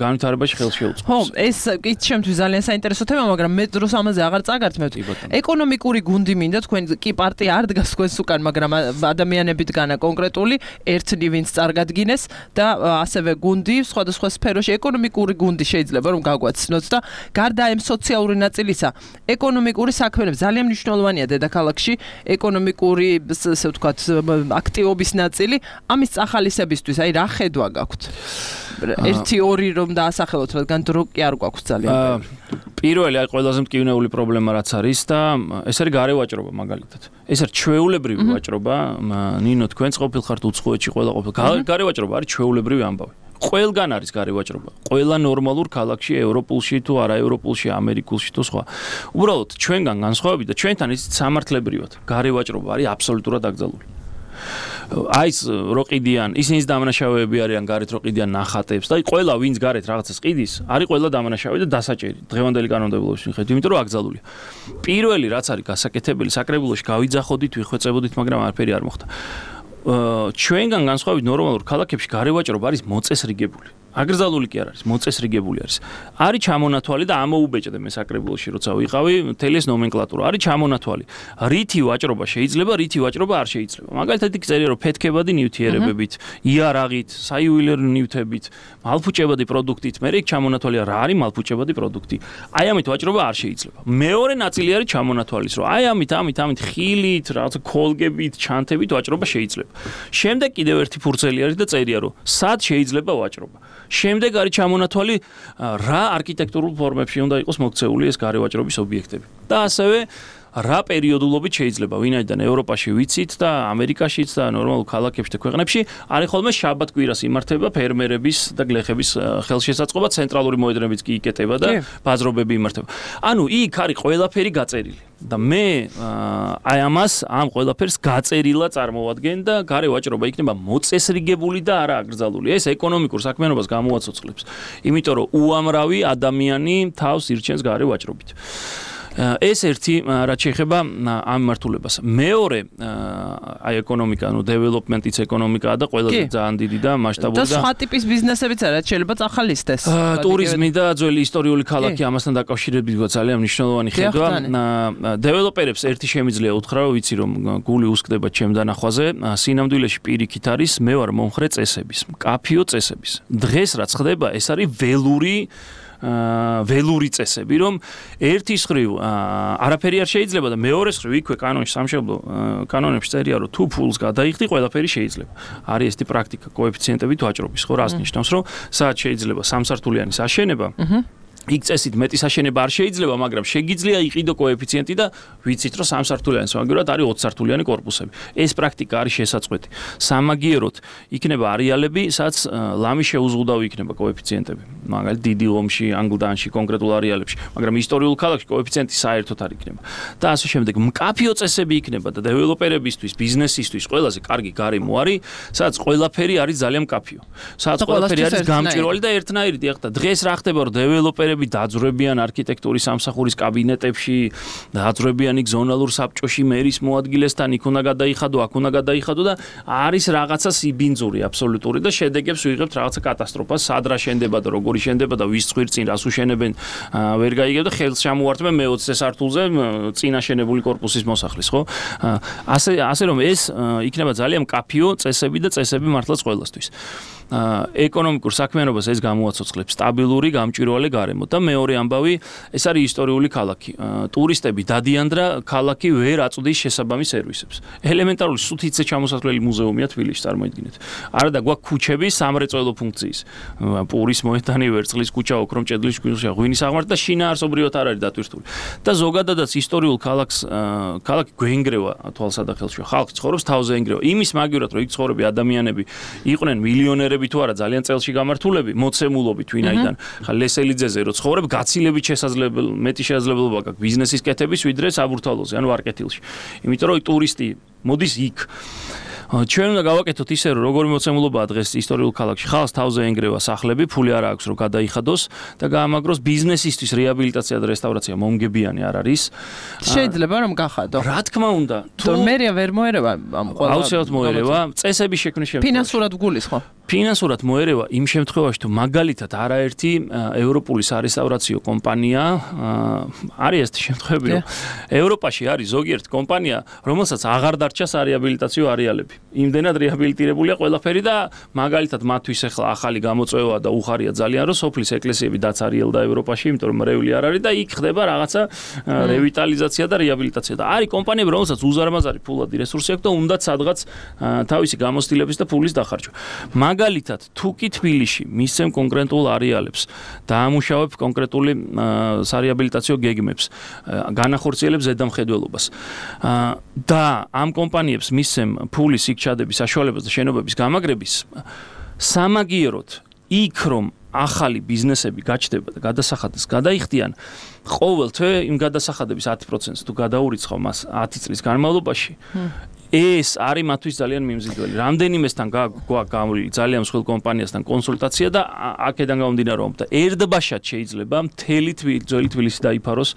განვითარებაში ხელს შეუწყობს. ხო, ეს კი ჩემთვის ძალიან საინტერესო თემა, მაგრამ მე დროს ამაზე აღარ წაგართმევთ. ეკონომიკური გუნდი მინდა თქვენ კი პარტია არ დგას თქვენს უკან, მაგრამ ადამიანები დგანა კონკრეტული, ერთნი ვინც წარგადგინეს და ასევე გუნდი სხვადასხვა სფეროში ეკონომიკური გუნდი შეიძლება რომ გაგვაცნოთ და გარდა ამ სოციალური ნაწილისა, ეკონომიკური საქმიანობა ძალიან მნიშვნელოვანია დედაქალაქში, ეკონომიკური, ასე ვთქვათ, აქტივობის ნაწილი, ამის წახალისებისთვის, აი რა ხედვა გაქვთ? ერთი ორი რომ დაასახელოთ, რადგან დრო კი არ გვაქვს ძალიან. პირველი, აი ყველაზე მტკივნეული პრობლემა რაც არის და ეს არის გარე ვაჭრობა მაგალითად. ეს არის ჩვეულებრივი ვაჭრობა, ნინო თქვენც ყოფილ ხართ უცხოეთში ყველა ყოფილ. გარე ვაჭრობა არის ჩვეულებრივი ამბავი. ყველგან არის გარე ვაჭრობა. ყველა ნორმალურ ქალაქში, ევროპულში თუ არაევროპულში, ამერიკულში თუ სხვა. უბრალოდ ჩვენგან განსხვავებით და ჩვენთან ის სამართლებრივად გარე ვაჭრობა არის აბსოლუტურად აკრძალული. აი ეს რო ყიდიან, ისინიც დამნაშავეები არიან გარეთ რო ყიდიან ნახატებს და აი ყველა ვინც გარეთ რაღაცას ყიდის, არის ყველა დამნაშავე და დასაჭერი დღევანდელი კანონმდებლობის მიხედვით, იმიტომ რომ აკრძალულია. პირველი რაც არის გასაკეთებელი, საკრებულოში გავიძახოდით, ვიხვეწებოდით, მაგრამ არაფერი არ მოხდა. ჩვენგან განსხვავებით ნორმალურ ქალაქებში გარე ვაჭრობა არის მოწესრიგებული. აკრძალული კი არ არის, მოწესრიგებული არის. არის ჩამონათვალი და ამოუბეჭდე მე საკრებულოში როცა ვიყავი, მთელი ეს ნომენკლატურა არის ჩამონათვალი. რითი ვაჭრობა შეიძლება, რითი ვაჭრობა არ შეიძლება. მაგალითად იქ წერია რომ ფეთქებადი ნივთიერებებით, იარაღით, საიუველირო ნივთებით, მალფუჭებადი პროდუქტით, მე იქ ჩამონათვალი რა არის მალფუჭებადი პროდუქტი. აი ამით ვაჭრობა არ შეიძლება. მეორე ნაწილი არის ჩამონათვალის, რომ აი ამით, ამით, ამით ხილით, რაღაცა ქოლგებით, ჩანთებით ვაჭრობა შეიძლება. შემდეგ კიდევ ერთი ფურცელი არის და წერია რომ სად შეიძლება ვაჭრობა. შემდეგ არის ჩამონათვალი რა არქიტექტურულ ფორმებში უნდა იყოს მოქცეული ეს გარე ვაჭრობის ობიექტები. და ასევე რა პერიოდულობით შეიძლება ვინაიდან ევროპაში ვიცით და ამერიკაშიც და ნორმალურ ქალაქებში და ქვეყნებში არის ხოლმე შაბათ კვირას იმართება ფერმერების და გლეხების ხელშესაწყობა, ცენტრალური მოედნებიც კი იკეტება და ბაზრობები იმართება. ანუ იქ არის ყველაფერი გაწერილი. და მე აი ამას ამ ყველაფერს გაწერილა წარმოვადგენ და გარე ვაჭრობა იქნება მოწესრიგებული და არა აკრძალული. ეს ეკონომიკურ საქმიანობას გამოაცოცხლებს. იმიტომ რომ უამრავი ადამიანი თავს ირჩენს გარე ვაჭრობით. ეს ერთი რაც შეეხება ამ მართულებას. მეორე აი ეკონომიკა, ნუ დეველოპმენტიც ეკონომიკაა და ყველაზე ძალიან დიდი და მასშტაბური და და სხვა ტიპის ბიზნესებიც არა, შეიძლება წახალისდეს. ტურიზმი და ძველი ისტორიული ქალაქი ამასთან დაკავშირებით ძალიან მნიშვნელოვანი ხედვა. დეველოპერებს ერთი შემიძლია უთხრა, რომ ვიცი რომ გული უსკდება ჩემ დანახვაზე, სინამდვილეში პირიქით არის მე ვარ მომხრე წესების, მკაფიო წესების. დღეს რაც ხდება, ეს არის ველური ველური წესები, რომ ერთის ხრივ არაფერი არ შეიძლება და მეორეს ხრივ იქვე კანონში სამშობლო კანონებში წერია, რომ თუ ფულს გადაიხდი, ყველაფერი შეიძლება. არის ესეთი პრაქტიკა კოეფიციენტებით ვაჭრობის, ხო, რას ნიშნავს, რომ საათ შეიძლება სამსართულიანის აშენება, იქ წესით მეტის აშენება არ შეიძლება, მაგრამ შეგიძლია იყიდო კოეფიციენტი და ვიცით, რომ სამსართულიანის მაგალითად არის ოცსართულიანი კორპუსები. ეს პრაქტიკა არის შესაწყვეტი. სამაგიეროდ იქნება არეალები, სადაც ლამი შეუზღუდავი იქნება კოეფიციენტები. მაგალითად დიდი ომში, ანგლდანში, კონკრეტულ არეალებში, მაგრამ ისტორიულ ქალაქში კოეფიციენტი საერთოდ არ იქნება. და ასე შემდეგ მკაფიო წესები იქნება და დეველოპერებისთვის, ბიზნესისთვის ყველაზე კარგი გარემო არის, სადაც ყველაფერი არის ძალიან მკაფიო. სადაც ყველაფერი არის გამჭვირვალე და ერთნაირი. ეხლა დღეს რა ხდება, რომ დეველოპერები დაძვრებიან არქიტექტურის სამსახურის კაბინეტებში, დაძვრებიან იქ ზონალურ საბჭოში მერის მოადგილესთან, იქ უნდა გადაიხადო, აქ უნდა გადაიხადო და არის რაღაცა სიბინძური აბსოლუტური და შედეგებს ვიღებთ რაღაცა კატასტროფას, სად რა შენდება და როგორი შენდება და ვის წვირ წინ რას უშენებენ, ვერ გაიგებ და ხელს ჩამოვართმენ მეოცე სართულზე წინა შენებული კორპუსის მოსახლის, ხო? ასე ასე რომ ეს იქნება ძალიან მკაფიო წესები და წესები მართლაც ყველასთვის. ეკონომიკურ საქმიანობას ეს გამოაცოცხლებს სტაბილური, გამჭვირვალე გარემო და მეორე ამბავი, ეს არის ისტორიული ქალაქი. ტურისტები დადიან და ქალაქი ვერ აწვდის შესაბამის სერვისებს. ელემენტარული სუთიცე ჩამოსასვლელი მუზეუმია თბილისში, წარმოიდგინეთ. არა და გვაქვს ქუჩები სამრეწველო ფუნქციის. პურის მოედანი, ვერცხლის ქუჩა, ოქრომ ჭედლის ქუჩა, ღვინის აღმართი და შინაარსობრივად არ არის დატვირთული. და ზოგადადაც ისტორიულ ქალაქს ქალაქი გვენგრევა თვალსადახელში. ხალხი ცხოვრობს თავზე ენგრევა. იმის მაგივრად რომ იქ ცხოვრები ადამიანები იყვნენ მილიონერები თუ არა ძალიან წელში გამართულები, მოცემულობით ვინაიდან. ხა ლესელიძეზე რო ცხოვრებ, გაცილებით შესაძლებელი, მეტი შესაძლებლობა გაქვს ბიზნესის კეთების ვიდრე საბურთალოზე, ანუ არკეთილში. იმიტომ რომ ტურისტი მოდის იქ. ჩვენ უნდა გავაკეთოთ ისე რომ როგორი მოცემულობაა დღეს ისტორიულ ქალაქში ხალხს თავზე ენგრევა სახლები, ფული არ აქვს რომ გადაიხადოს და გაამაგროს ბიზნესისთვის რეაბილიტაცია და რესტავრაცია მომგებიანი არ არის. შეიძლება რომ გახადო. რა თქმა უნდა, თუ მერია ვერ მოერევა ამ ყველა აუცილებლად მოერევა, წესების შექმნის შემთხვევაში. ფინანსურად გულის ხო? ფინანსურად მოერევა იმ შემთხვევაში თუ მაგალითად არაერთი ევროპული სარესტავრაციო კომპანია არის ეს შემთხვევები რომ ევროპაში არის ზოგიერთი კომპანია რომელსაც აღარ დარჩა სარეაბილიტაციო არეალები. იმდენად რეაბილიტირებულია ყველაფერი და მაგალითად მათთვის ახლა ახალი გამოწვევა და უხარია ძალიან რომ სოფლის ეკლესიები დაცარიელდა ევროპაში, იმიტომ რომ მრევლი არ არის და იქ ხდება რაღაცა რევიტალიზაცია და რეაბილიტაცია და არის კომპანიები რომელსაც უზარმაზარი ფულადი რესურსი აქვს და უნდათ სადღაც თავისი გამოცდილების და ფულის დახარჯვა. მაგალითად, თუ კი თბილისში მისცემ კონკრეტულ არეალებს, დაამუშავებ კონკრეტული სარეაბილიტაციო გეგმებს, განახორციელებს ზედამხედველობას და ამ კომპანიებს მისცემ ფულის იქ ჩადების საშუალებას და შენობების გამაგრების, სამაგიეროდ იქ რომ ახალი ბიზნესები გაჩნდება და გადასახადეს გადაიხდიან, ყოველ თვე იმ გადასახადების ათი პროცენტს თუ გადაურიცხავ მას ათი წლის განმავლობაში, ეს არის მათთვის ძალიან მიმზიდველი. რამდენიმესთან გვაქვს გამოვლილი ძალიან მსხვილ კომპანიასთან კონსულტაცია და აქედან გამომდინარე რომ და ერთბაშად შეიძლება მთელი ძველი თბილისი დაიფაროს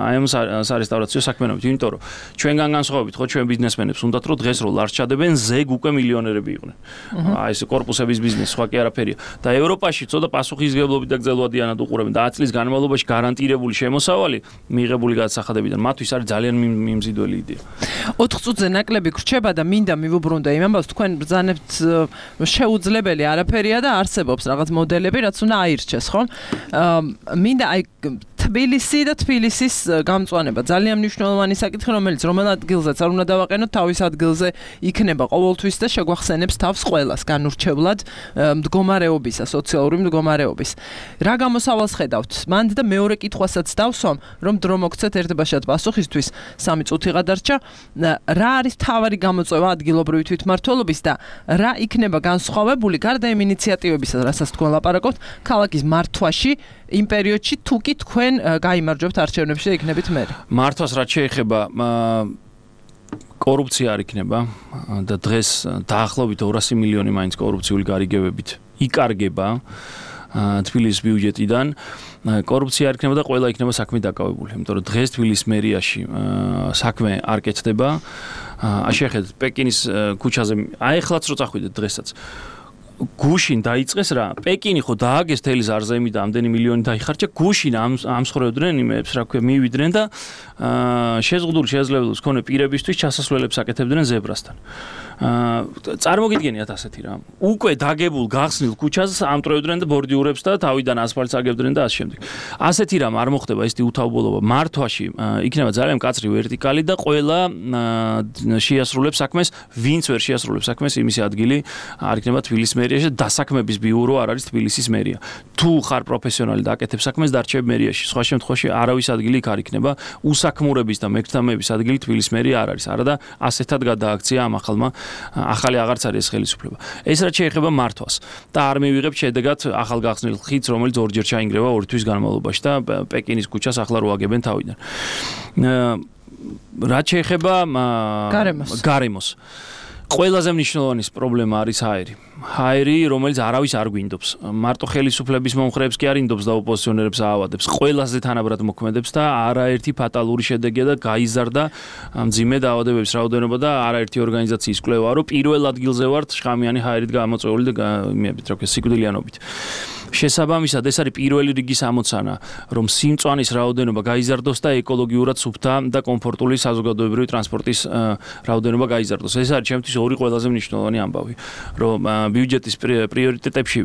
აი ამ სარესტავრაციო საქმიანობით, იმიტომ რომ ჩვენგან განსხვავებით ხო ჩვენ ბიზნესმენებს უნდათ რომ დღეს რო ლარს ჩადებენ ზეგ უკვე მილიონერები იყვნენ. აი ეს კორპუსების ბიზნესი სხვა კი არაფერია. და ევროპაში ცოტა პასუხისმგებლობით და გრძელვადიანად უყურებენ და ათი წლის განმავლობაში გარანტირებული შემოსავალი მიღებული გადასახადებიდან მათთვის არის ძალიან მიმზიდველი იდეა. ოთხ წუთზე ნაკლები გრჩება და მინდა მივუბრუნდე იმ ამბავს, თქვენ ბრძანებთ შეუძლებელი არაფერია და არსებობს რაღაც მოდელები, რაც უნდა აირჩეს, ხო? მინდა აი თბილისი და თბილისის გამწვანება ძალიან მნიშვნელოვანი საკითხი, რომელიც რომელ ადგილზეც არ უნდა დავაყენოთ, თავის ადგილზე იქნება ყოველთვის და შეგვახსენებს თავს ყველას განურჩევლად მდგომარეობისა, სოციალური მდგომარეობის. რა გამოსავალს ხედავთ? მანდ და მეორე კითხვასაც დავსვამ, რომ დრო მოგცეთ ერთბაშად პასუხისთვის, სამი წუთი გადარჩა. რა არის თავარი გამოწვევა ადგილობრივი თვითმმართველობის და რა იქნება განსხვავებული გარდა იმ ინიციატივებისა, რასაც თქვენ ლაპარაკობთ, ქალაქის მართვაში იმ პერიოდში თუ კი თქვენ გაიმარჯვებთ არჩევნებში და იქნებით მერი. მართვას რაც შეეხება კორუფცია არ იქნება და დღეს დაახლოებით ორასი მილიონი მაინც კორუფციული გარიგებებით იკარგება თბილისის ბიუჯეტიდან. კორუფცია არ იქნება და ყველა იქნება საქმე დაკავებული, იმიტომ რომ დღეს თბილისის მერიაში საქმე არ კეთდება. შეხედეთ პეკინის ქუჩაზე, აი ახლაც რო წახვიდეთ დღესაც გუშინ დაიწყეს რა, პეკინი ხო დააგეს თელი ზარზემი და ამდენი მილიონი დაიხარჯა, გუშინ ამ ამსხრევდნენ იმებს, რა ქვია, მივიდნენ და შეზღუდული შესაძლებლობის მქონე პირებისთვის ჩასასვლელებს აკეთებდნენ ზებრასთან. წარმოგიდგენიათ ასეთი რა. უკვე დაგებულ გახსნილ ქუჩას ამტრევდნენ და ბორდიურებს და თავიდან ასფალტს აგებდნენ და ასე შემდეგ. ასეთი რამ არ მოხდება, ესეთი უთავბოლობა მართვაში იქნება ძალიან მკაცრი ვერტიკალი და ყველა შეასრულებს საქმეს, ვინც ვერ შეასრულებს საქმეს, იმის ადგილი არ იქნება თბილისის მერიაში და დასაქმების ბიურო არ არის თბილისის მერია. თუ ხარ პროფესიონალი და აკეთებ საქმეს, დარჩებ მერიაში. სხვა შემთხვევაში არავის ადგილი იქ არ იქნება, უსაქმურების და მეკრთამეების ადგილი თბილისის მერია არ არის. არა და ასეთად გადააქცია ამ ახალმა ახალი აღარც არის ხელისუფლება. ეს რაც შეეხება მართვას და არ მივიღებთ შედეგად ახალ გახსნილ ხიდს, რომელიც ორჯერ ჩაინგრევა ორი თვის განმავლობაში და პეკინის ქუჩას ახლა რო აგებენ თავიდან. რაც შეეხება გარემოს. ყველაზე მნიშვნელოვანი პრობლემა არის ჰაერი. ჰაერი, რომელიც არავის არ გვინდობს. მარტო ხელისუფლების მომხრეებს კი არ ინდობს და ოპოზიციონერებს აავადებს. ყველაზე თანაბრად მოქმედებს და არაერთი ფატალური შედეგია და გაიზარდა მძიმე დაავადებების რაოდენობა და არაერთი ორგანიზაციის კვლევა, რომ პირველ ადგილზე ვართ შხამიანი ჰაერით გამოწვეული და იმებით, რა ქვია, სიკვდილიანობით. შესაბამისად ეს არის პირველი რიგის ამოცანა, რომ სიმწვანის რაოდენობა გაიზარდოს და ეკოლოგიურად სუფთა და კომფორტული საზოგადოებრივი ტრანსპორტის რაოდენობა გაიზარდოს. ეს არის ჩემთვის ორი ყველაზე მნიშვნელოვანი ამბავი, რომ ბიუჯეტის პრიორიტეტებში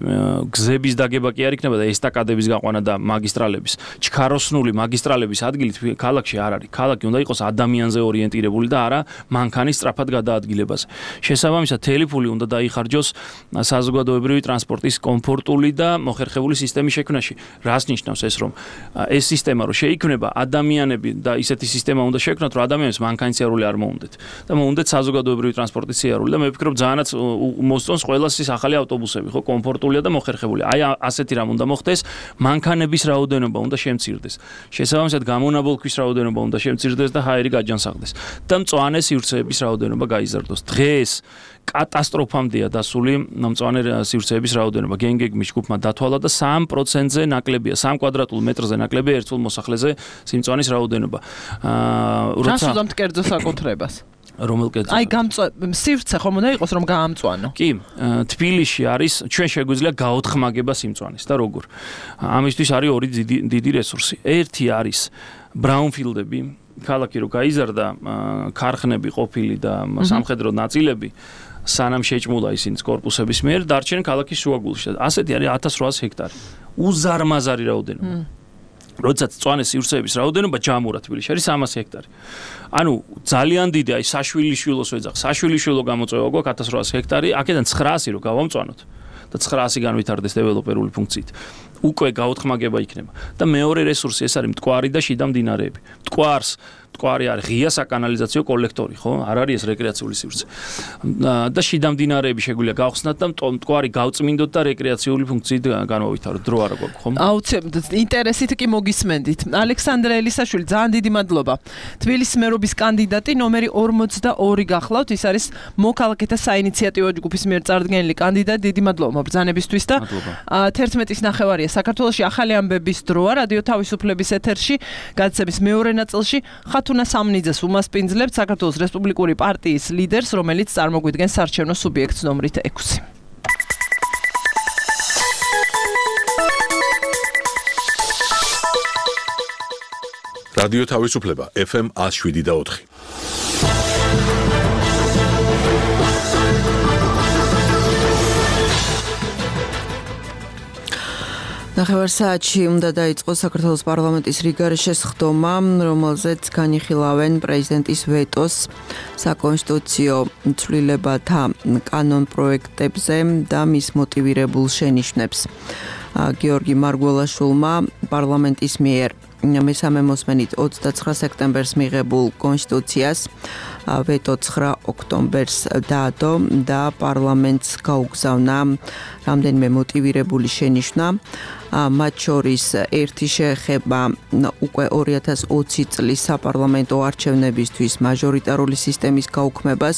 გზების დაგება კი არ იქნება და ესტაკადების გაყვანა და მაგისტრალების, ჩქაროსნული მაგისტრალების ადგილით ქალაქში არ არის. ქალაქი უნდა იყოს ადამიანზე ორიენტირებული და არა მანქანის სწრაფად გადაადგილებაზე. შესაბამისად, თელიფული უნდა დაიხარჯოს საზოგადოებრივი ტრანსპორტის კომფორტული და მოხერხებული სისტემის შექმნაში. რას ნიშნავს ეს, რომ ეს სისტემა რო შეიქმნება, ადამიანები და ისეთი სისტემა უნდა შექმნათ, რომ ადამიანებს მანქანის სიარული არ მოუნდეთ და მოუნდეთ საზოგადოებრივი ტრანსპორტის სიარული და მე ვფიქრობ ძალიანაც მოსწონს ყველას ის ახალი ავტობუსები, ხო, კომფორტულია და მოხერხებული. აი ასეთი რამ უნდა მოხდეს, მანქანების რაოდენობა უნდა შემცირდეს. შესაბამისად, გამონაბოლქვის რაოდენობა უნდა შემცირდეს და ჰაერი გაჯანსაღდეს და მწვანე სივრცეების რაოდენობა გაიზარდოს. დღეს კატასტროფამდეა დასული მწვანე სივრცეების რაოდენობა. გენგეგმის ჯგუფმა დათვალა და სამი პროცენტზე ნაკლებია, სამი კვადრატულ მეტრზე ნაკლებია ერთულ მოსახლეზე სიმწვანის რაოდენობა. აა როცა რასუძამთ კერძო საკუთრებას? რომელ კერძო? აი გამწვა სივრცე ხომ უნდა იყოს რომ გაამწვანო. კი, თბილისში არის ჩვენ შეგვიძლია გაოთხმაგება სიმწვანის და როგორ? ამისთვის არის ორი დიდი რესურსი. ერთი არის ბრაუნფილდები, ქალაქი რო გაიზარდა, ქარხნები ყოფილი და სამხედრო ნაწილები სანამ შეჭმულა ისინი კორპუსების მიერ, დარჩენ ქალაქის შუაგულში. ასეთი არის ათას რვაას ჰექტარი. უზარმაზარი რაოდენობა. როდესაც მწვანე სივრცეების რაოდენობა ჯამურა თბილისში არის სამას ჰექტარი. ანუ ძალიან დიდი, აი საშვილიშვილოს ვეძახ, საშვილიშვილო გამოწვევა გვაქვს ათას რვაას ჰექტარი, აქედან ცხრაასი რო გავამწვანოთ და ცხრაასი განვითარდეს დეველოპერული ფუნქციით. უკვე გაოთხმაგება იქნება. და მეორე რესურსი ეს არის მტკვარი და შიდა მდინარეები. მტკვარს მტკვარი არის ღია საკანალიზაციო კოლექტორი, ხო? არ არის ეს რეკრეაციული სივრცე. და შიდა მდინარეები შეგვიძლია გავხსნათ და მტკვარი გავწმინდოთ და რეკრეაციული ფუნქციით განვავითაროთ. დრო არა გვაქვს, ხო? აუცილებლად ინტერესით კი მოგისმენდით. ალექსანდრე ელისაშვილი, ძალიან დიდი მადლობა. თბილისის მერობის კანდიდატი ნომერი ორმოცდაორი გახლავთ. ის არის მოქალაქეთა საინიციატივო ჯგუფის მიერ წარდგენილი კანდიდატი. დიდი მადლობა მობრძანებისთვის და თერთმეტის ნახევარია საქართველოში ახალი ამბების დროა რადიო თავისუფლების ეთერში. გადაცემის მეორე ნაწილში ხათუნა სამნიძეს უმასპინძლებთ საქართველოს რესპუბლიკური პარტიის ლიდერს, რომელიც წარმოგვიდგენს საარჩევნო სუბიექტს ნომრით ექვსი. რადიო თავისუფლება ეფ ემ ათს შვიდი და ოთხი. ნახევარ საათში უნდა დაიწყოს საქართველოს პარლამენტის რიგარეშეს ხდომა, რომელზეც განიხილავენ პრეზიდენტის ვეტოს საკონსტიტუციო ცვლილებათა კანონ პროექტებზე და მის მოტივირებულ შენიშვნებს. გიორგი მარგველაშვილმა პარლამენტის მიერ მესამე მოსმენით ოცდაცხრა სექტემბერს მიღებულ კონსტიტუციას ვეტო ცხრა ოქტომბერს დაადო და პარლამენტს გაუგზავნა რამდენიმე მოტივირებული შენიშვნა. მათ შორის ერთი შეეხება უკვე ორი ათას ოცი წლის საპარლამენტო არჩევნებისთვის მაჟორიტარული სისტემის გაუქმებას.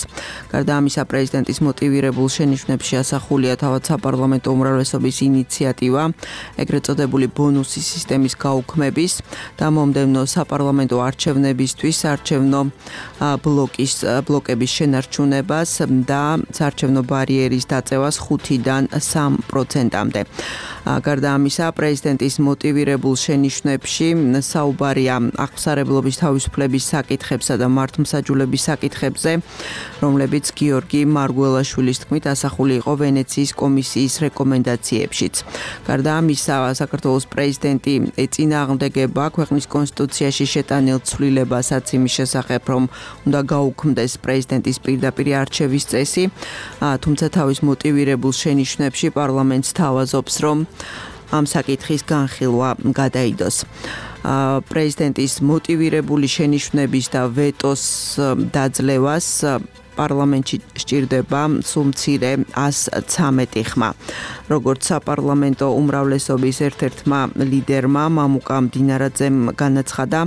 გარდა ამისა, პრეზიდენტის მოტივირებულ შენიშვნებში ასახულია თავად საპარლამენტო უმრავლესობის ინიციატივა, ეგრეთ წოდებული ბონუსის სისტემის გაუქმების და მომდევნო საპარლამენტო არჩევნებისთვის საარჩევნო ბლოკის ბლოკების შენარჩუნებას და საარჩევნო ბარიერის დაწევას ხუთიდან სამ პროცენტამდე. გარდა ამისა, პრეზიდენტის მოტივირებულ შენიშვნებში საუბარია აღსარებლობის თავისუფლების საკითხებსა და მართლმსაჯულების საკითხებზე, რომლებიც გიორგი მარგველაშვილის თქმით ასახული იყო ვენეციის კომისიის რეკომენდაციებშიც. გარდა ამისა, საქართველოს პრეზიდენტი ეწინააღმდეგება ქვეყნის კონსტიტუციაში შეტანილ ცვლილებას იმის შესახებ, რომ უნდა გაუქმდეს პრეზიდენტის პირდაპირ არჩევის წესი, თუმცა თავის მოტივირებულ შენიშვნებში პარლამენტს თავაზობს, რომ ამ საკითხის განხილვა გადაიდოს. პრეზიდენტის მოტივირებული შენიშვნების და ვეტოს დაძლევას პარლამენტში სჭირდება სულ მცირე ას ცამეტი ხმა. როგორც საპარლამენტო უმრავლესობის ერთ-ერთმა ლიდერმა მამუკა მდინარაძემ განაცხადა,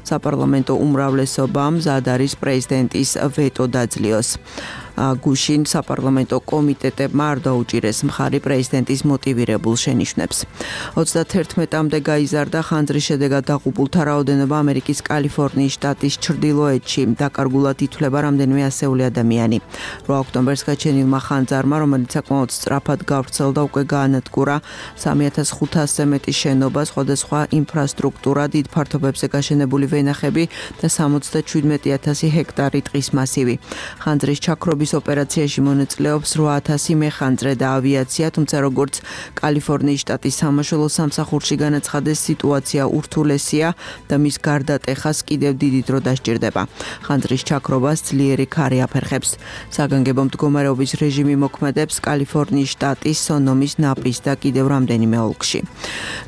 საპარლამენტო უმრავლესობამ მზად არის პრეზიდენტის ვეტო დაძლიოს. გუშინ საპარლამენტო კომიტეტებმა არ დაუჭირეს მხარი პრეზიდენტის მოტივირებულ შენიშვნებს. ოცდათერთმეტამდე გაიზარდა ხანძრის შედეგად დაღუპულთა რაოდენობა ამერიკის კალიფორნიის შტატის ჩრდილოეთში. დაკარგულად ითვლება რამდენიმე ასეული ადამიანი. რვა ოქტომბერს გაჩენილმა ხანძარმა, რომელიც საკმაოდ სწრაფად გავრცელდა, უკვე გაანადგურა სამი ათას ხუთასზე მეტი შენობა, სხვადასხვა ინფრასტრუქტურა, დიდ ფართობებზე გაშენებული ვენახები და სამოცდაშვიდმეტი ათასი ჰექტარი ტყის მასივი. ხანძრის ჩაქრობის ოპერაციაში მონაწილეობს რვა ათასი მეხანძრე და ავიაცია, თუმცა როგორც კალიფორნიის შტატის სამაშველო სამსახურში განაცხადეს, სიტუაცია ურთულესია და მის გარდატეხას კიდევ დიდი დრო დასჭირდება. ხანძრის ჩაქრობას ძლიერი ქარი აფერხებს. საგანგებო მდგომარეობის რეჟიმი მოქმედებს კალიფორნიის შტატის სონომის, ნაპის და კიდევ რამდენიმე ოლქში.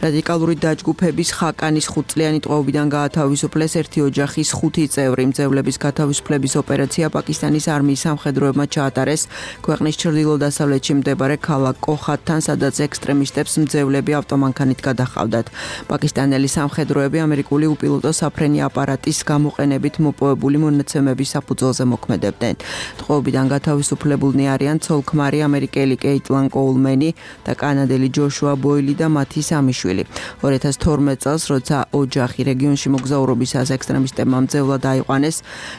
რადიკალური დაჯგუფების ხაკანის ხუთწლიანი ტყვეობიდან გაათავისუფლეს ერთი ოჯახის ხუთი წევრი. მძევლების გათავისუფლების ოპერაცია პაკისტანის არმიის სამხედროებმა ჩაატარეს ქვეყნის ჩრდილო-დასავლეთში მდებარე ქალაქ კოხათთან, სადაც ექსტრემისტებს მძევლები ავტომანქანით გადაჰყავდათ. პაკისტანელი სამხედროები ამერიკული უპილოტო საფრენი აპარატის გამოყენებით მოპოვებული მონაცემების საფუძველზე მოქმედებდნენ. ტყვეობიდან გათავისუფლებულნი არიან ცოლ-ქმარი ამერიკელი კეიტლან კოულმენი და კანადელი ჯოშუა ბოილი და მათი სამი შვილი. ორი ათას თორმეტ წელს, როცა ოჯახი რეგიონში მოგზაურობისას ექსტრემისტებმა მძევლად აიყვანეს,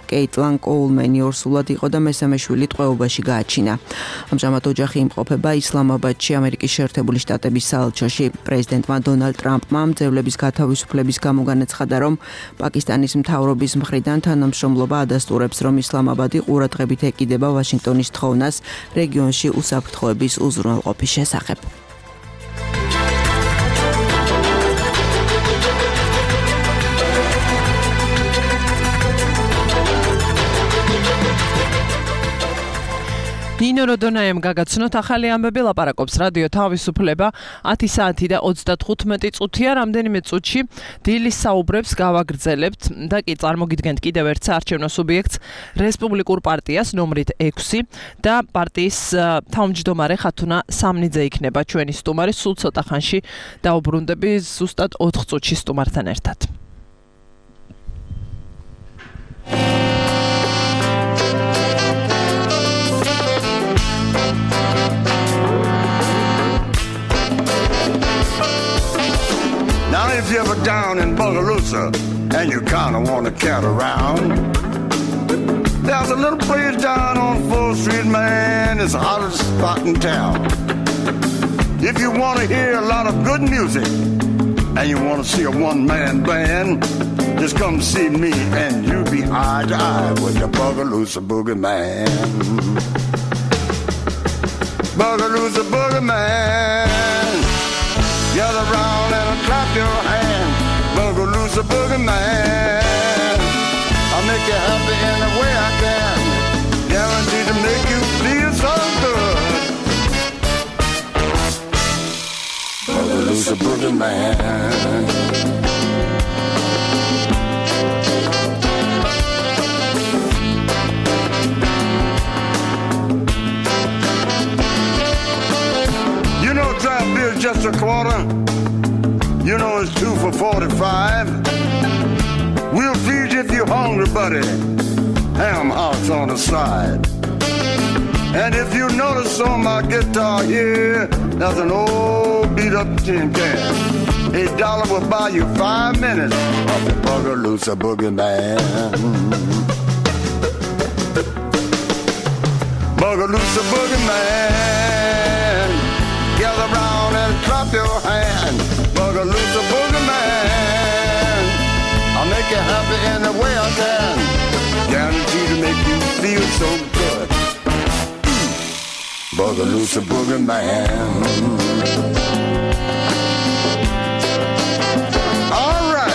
კეიტლან კოულმენი ორსულად იყო და მესამე შვილი ტყვეობაში გააჩინა. ამჟამად ოჯახი იმყოფება ისლამაბადში, ამერიკის შეერთებული შტატების საელჩოში. პრეზიდენტმა დონალდ ტრამპმა მძევლების გათავისუფლების გამო განაცხადა, რომ პაკისტანის მთავრობის მხრიდან თანამშრომლობა ადასტურებს, რომ ისლამაბადი ყურადღებით ეკიდება ვაშინგტონის თხოვნას რეგიონში უსაფრთხოების უზრუნველყოფის შესახებ. ნინო როდონაემ გაგაცნოთ ახალი ამბები, ლაპარაკობს რადიო თავისუფლება. ათი საათი და ოცდათხუთმეტი წუთია, რამდენიმე წუთში დილის საუბრებს გავაგრძელებთ და კი წარმოგიდგენთ კიდევ ერთ საარჩევნო სუბიექტს, რესპუბლიკურ პარტიას ნომრით ექვსი და პარტიის თავმჯდომარე ხათუნა სამნიძე იქნება ჩვენი სტუმარი. სულ ცოტა ხანში დაუბრუნდები ზუსტად ოთხ წუთში სტუმართან ერთად. Now if you're ever down in Bogalusa and you kinda wanna cat around, there's a little place down on fourth street, man, it's the hottest spot in town. If you wanna hear a lot of good music and you wanna see a one-man band, just come see me and you'll be eye to eye with the Bogalusa Boogie Man. Bogalusa Boogie Man, gather round and clap your hand. Bogalusa Boogie Man, I'll make you happy in the way I can, guaranteed to make you feel so good. Bogalusa Boogie Man. You know draft beer's just a quarter. You know it's two for forty-five. We'll feed you if you're hungry, buddy. Ham hocks on the side. And if you notice on my guitar here, there's an old beat up tin can. A dollar will buy you five minutes of the Bogalusa Boogie Man. Bogalusa Boogie Man, gather round and clap your hand. Bogalusa Boogie Man, I'll make you happy in the way I can, guaranteed to make you feel so good. Bogalusa Boogie Man. All right.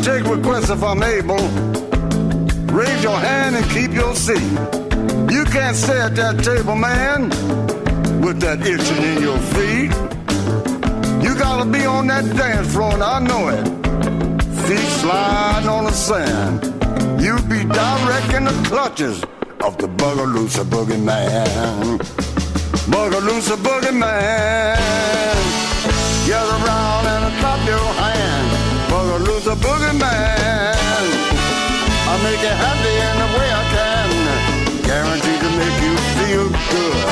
take requests if I'm able. Raise your hand and keep your seat. You can't stay at that table, man, with that itching in your feet. You gotta be on that dance floor, and I know it. Feet sliding on the sand. You be direct in the clutches of the Bugaloosa Boogie Man. Bugaloosa Boogie Man. Get around and clap your hand. Bugaloosa Boogie Man. I make you happy in the way I can. Guaranteed to make you feel good.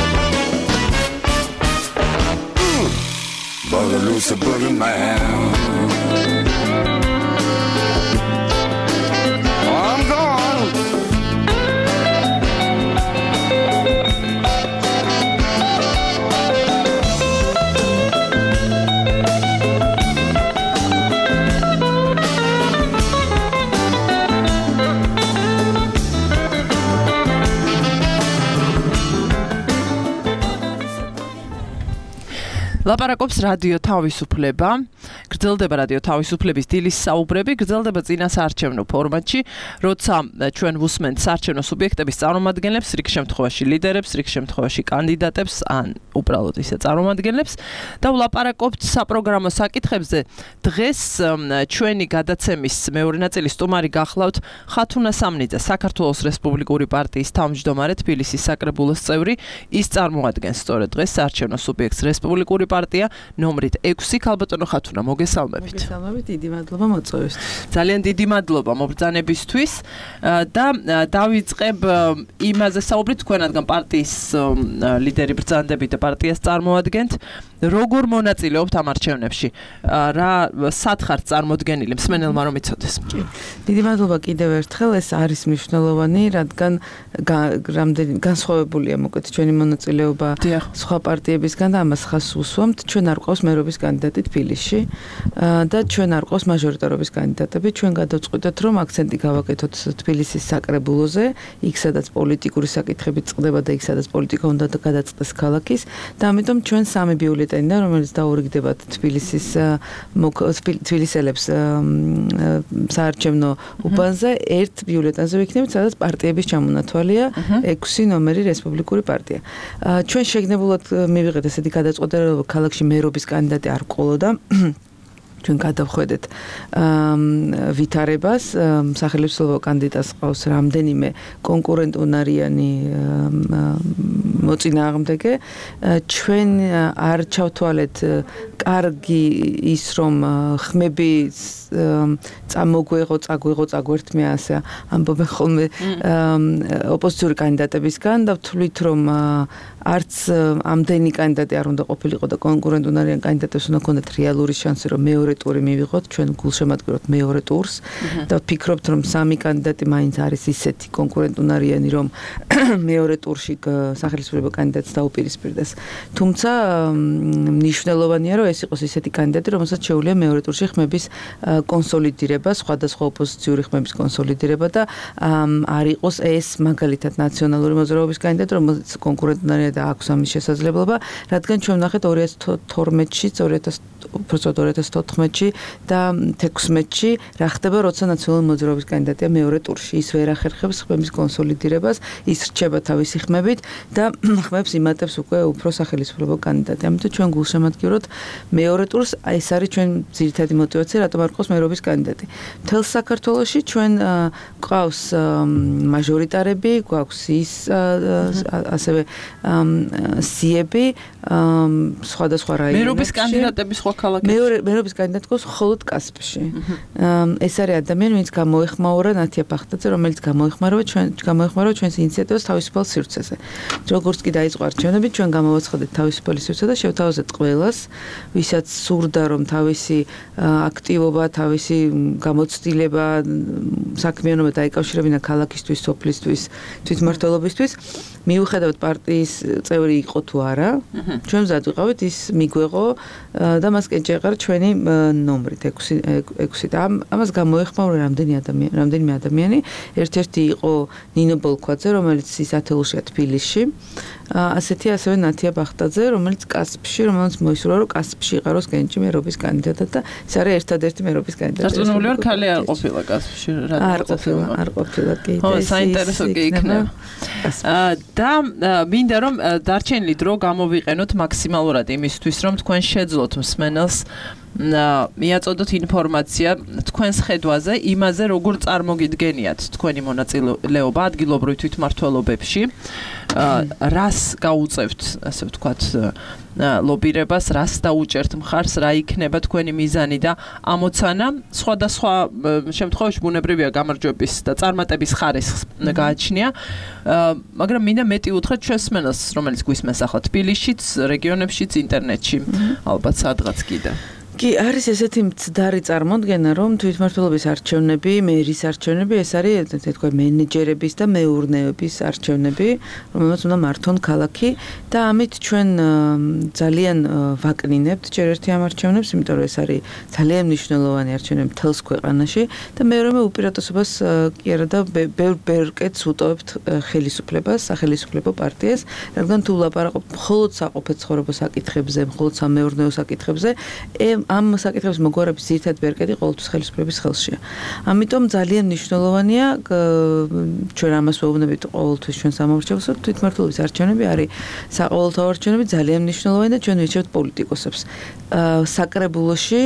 Mm. Bugaloosa Boogie Man. I'm gone. ლაპარაკობს რადიო თავისუფლება. გრძელდება რადიო თავისუფლების დილის საუბრები, გრძელდება წინა საარჩევნო ფორმატში, როცა ჩვენ ვუსმენთ საარჩევნო სუბიექტების წარმომადგენლებს, რიგ შემთხვევაში ლიდერებს, რიგ შემთხვევაში კანდიდატებს, ან უბრალოდ ისე წარმომადგენლებს და ვლაპარაკობთ საპროგრამო საკითხებზე. დღეს ჩვენი გადაცემის მეორე ნაწილი სტუმარი გახლავთ ხათუნა სამნიძე, საქართველოს რესპუბლიკური პარტიის თავმჯდომარე, თბილისის საკრებულოს წევრი. ის წარმოადგენს სწორედ დღეს საარჩევნო სუბიექტს რესპუბლიკური პარტია ნომრით ექვსი. ქალბატონო ხათუნა, მოგესალმებით. მოგესალმებით, დიდი მადლობა მოწვევისთვის. ძალიან დიდი მადლობა მობრძანებისთვის და დავიწყებ იმაზე საუბრით, თქვენ რადგან პარტიის ლიდერი ბრძანდებით და პარტიას წარმოადგენთ, როგორ მონაწილეობთ ამ არჩევნებში? რა სათხართ წარმოდგენილი მსმენელმა რომ იცოდეს? დიდი მადლობა კიდევ ერთხელ, ეს არის მნიშვნელოვანი, რადგან რამდენი განსხვავებულია მოკლედ ჩვენი მონაწილეობა სხვა პარტიებისგან და ამას ხაზს უსვამთ. ჩვენ არ ყავს მერობის კანდიდატი თბილისში და ჩვენ არ ყავს მაჟორიტარობის კანდიდატები. ჩვენ გადავწყვიტეთ, რომ აქცენტი გავაკეთოთ თბილისის საკრებულოზე, იქ სადაც პოლიტიკური საკითხები წყდება და იქ სადაც პოლიტიკა უნდა გადაწყდეს ქალაქის და ამიტომ ჩვენ სამი ბიულეტენიდან, რომელიც დაურიგდებათ თბილისის თბილისელებს საარჩევნო უბანზე, ერთ ბიულეტენზე ვიქნებით, სადაც პარტიების ჩამონათვალია ექვსი ნომერი რესპუბლიკური პარტია. ჩვენ შეგნებულად მივიღეთ ესეთი გადაწყვეტა, რომ ქალაქში მერობის კანდიდატი არ ყოლოდა. ჩვენ გადავხვედეთ ვითარებას, სახელმწიფო კანდიდატს ყავს რამდენიმე კონკურენტუნარიანი მოწინააღმდეგე. ჩვენ არ ჩავთვალეთ კარგი ის, რომ ხმები წამოგვეღო, წაგვეღო, წაგვერთმე ასე ამბობენ ხოლმე ოპოზიციური კანდიდატებისგან და ვთვლით, რომ არც ამდენი კანდიდატი არ უნდა ყოფილიყო და კონკურენტუნარიან კანდიდატებს უნდა ჰქონდეთ რეალური შანსი, რომ მეორე ტური მივიღოთ, ჩვენ გულშემატკივროთ მეორე ტურს და ვფიქრობთ, რომ სამი კანდიდატი მაინც არის ისეთი კონკურენტუნარიანი, რომ მეორე ტურში სახელმწიფო კანდიდატს დაუპირისპირდეს. თუმცა მნიშვნელოვანია, რომ ეს იყოს ისეთი კანდიდატი, რომელსაც შეუძლია მეორე ტურში ხმების კონსოლიდირება, სხვადასხვა ოპოზიციური ხმების კონსოლიდირება და არ იყოს ეს მაგალითად ნაციონალური მოძრაობის კანდიდატი, რომელიც კონკურენტუნარია და აქვს ამის შესაძლებლობა, რადგან ჩვენ ვნახეთ ორი ათას თორმეტში, ორი ათას თოთხმეტში და თექვსმეტში რა ხდება, როცა ნაციონალური მოძრაობის კანდიდატია მეორე ტურში. ის ვერ ახერხებს ხმების კონსოლიდირებას, ის რჩება თავისი ხმებით და ხმებს იმატებს უკვე უფრო სახელმწიფო კანდიდატი. ამიტომ ჩვენ გულშემატკივროთ მეორე ტურს, ეს არის ჩვენ ძირითადი мотиваცია, რატომ არ ყავს მერობის კანდიდატი. მთელ საქართველოში ჩვენ ყავს მაჟორიტარები, გვაქვს ის ასევე სიები სხვადასხვა რაიონებში. მერობის კანდიდატები სხვა ქალაქებში. მეორე მერობის კანდიდატი ყავს მხოლოდ კასპში. ეს არის ადამიანი, ვინც გამოეხმაურა ნათია ბახტაძე, რომელიც გამოეხმაურა ჩვენ გამოეხმაურა ჩვენს ინიციატივას თავისუფალ სივრცეზე. როგორც კი დაიწყო არჩევნები, ჩვენ გამოვაცხადეთ თავისუფალი სივრცე და შევთავაზეთ ყველას, ვისაც სურდა, რომ თავისი აქტივობა, თავისი გამოცდილება, საქმიანობა დაიკავშირებინა ქალაქისთვის, სოფლისთვის, თვითმმართველობისთვის, მიუხედავად პარტიის წევრი იყო თუ არა, ჩვენ მზად ვიყავით ის მიგვეღო და მას კენჭი ეყარა ჩვენი ნომრით ექვსი და ამას გამოეხმაურა რამდენი ადამიანი, რამდენიმე ადამიანი. ერთ-ერთი იყო ნინო ბოლქვაძე, რომელიც ის ათეულშია თბილისში. ასეთი ასევე ნათია ბახტაძე, რომელიც კასპში, რომელიც მოისურვა რომ კასპში იყაროს კენჭი მერობის კანდიდატად და ეს არის ერთადერთი მერობის კანდიდატი. დარწმუნებული ვარ, ქალი არ ყოფილა კასპში რა. არ ყოფილა, არ ყოფილა კი. ხო, საინტერესო კი იქნება. და მინდა რომ დარჩენილი დრო გამოვიყენოთ მაქსიმალურად იმისთვის, რომ თქვენ შეძლოთ მსმენელს მიაწოდოთ ინფორმაცია თქვენს ხედვაზე, იმაზე როგორ წარმოგიდგენიათ თქვენი მონაწილეობა ადგილობრივ თვითმმართველობებში, რას გაუწევთ, ასე ვთქვათ, ლობირებას, რას დაუჭერთ მხარს, რა იქნება თქვენი მიზანი და ამოცანა. სხვადასხვა შემთხვევაში ბუნებრივია გამარჯვების და წარმატების ხარისხს გააჩნია, მაგრამ მინდა მეტი უთხრათ ჩვენს მსმენელს, რომელიც გვისმენს ახლა თბილისშიც, რეგიონებშიც, ინტერნეტში, ალბათ სადღაც კიდე. კი, არის ესეთი მცდარი წარმოდგენა, რომ თვითმმართველობის არჩევნები, მერის არჩევნები, ეს არის თქვა მენეჯერების და მეურნეობის არჩევნები, რომელსაც უნდა მართონ ქალაქი და ამით ჩვენ ძალიან ვაკნინებთ ჯერ ერთი ამ არჩევნებს, იმიტომ რომ ეს არის ძალიან მნიშვნელოვანი არჩევნები მთელს ქვეყანაში და მეორე მე უპირატესობას კი არა და ბევრ კეთს ვუტოვებთ ხელისუფლებას, სახელისუფლებო პარტიას, რადგან თუ ვლაპარაკობ მხოლოდ საყოფე ცხოვრების საკითხებზე, მხოლოდ სამეურნეო საკითხებზე, ამ საკითხების მოგვარების ძირითადი ბერკეტი ყოველთვის ხელისუფლების ხელშია. ამიტომ ძალიან მნიშვნელოვანია ჩვენ ამას ვეუბნებით ყოველთვის ჩვენ სამომრჩეველს, რომ თვითმმართველობის არჩევნები არის საყოველთაო არჩევნები, ძალიან მნიშვნელოვანი და ჩვენ ვირჩევთ პოლიტიკოსებს. საკრებულოში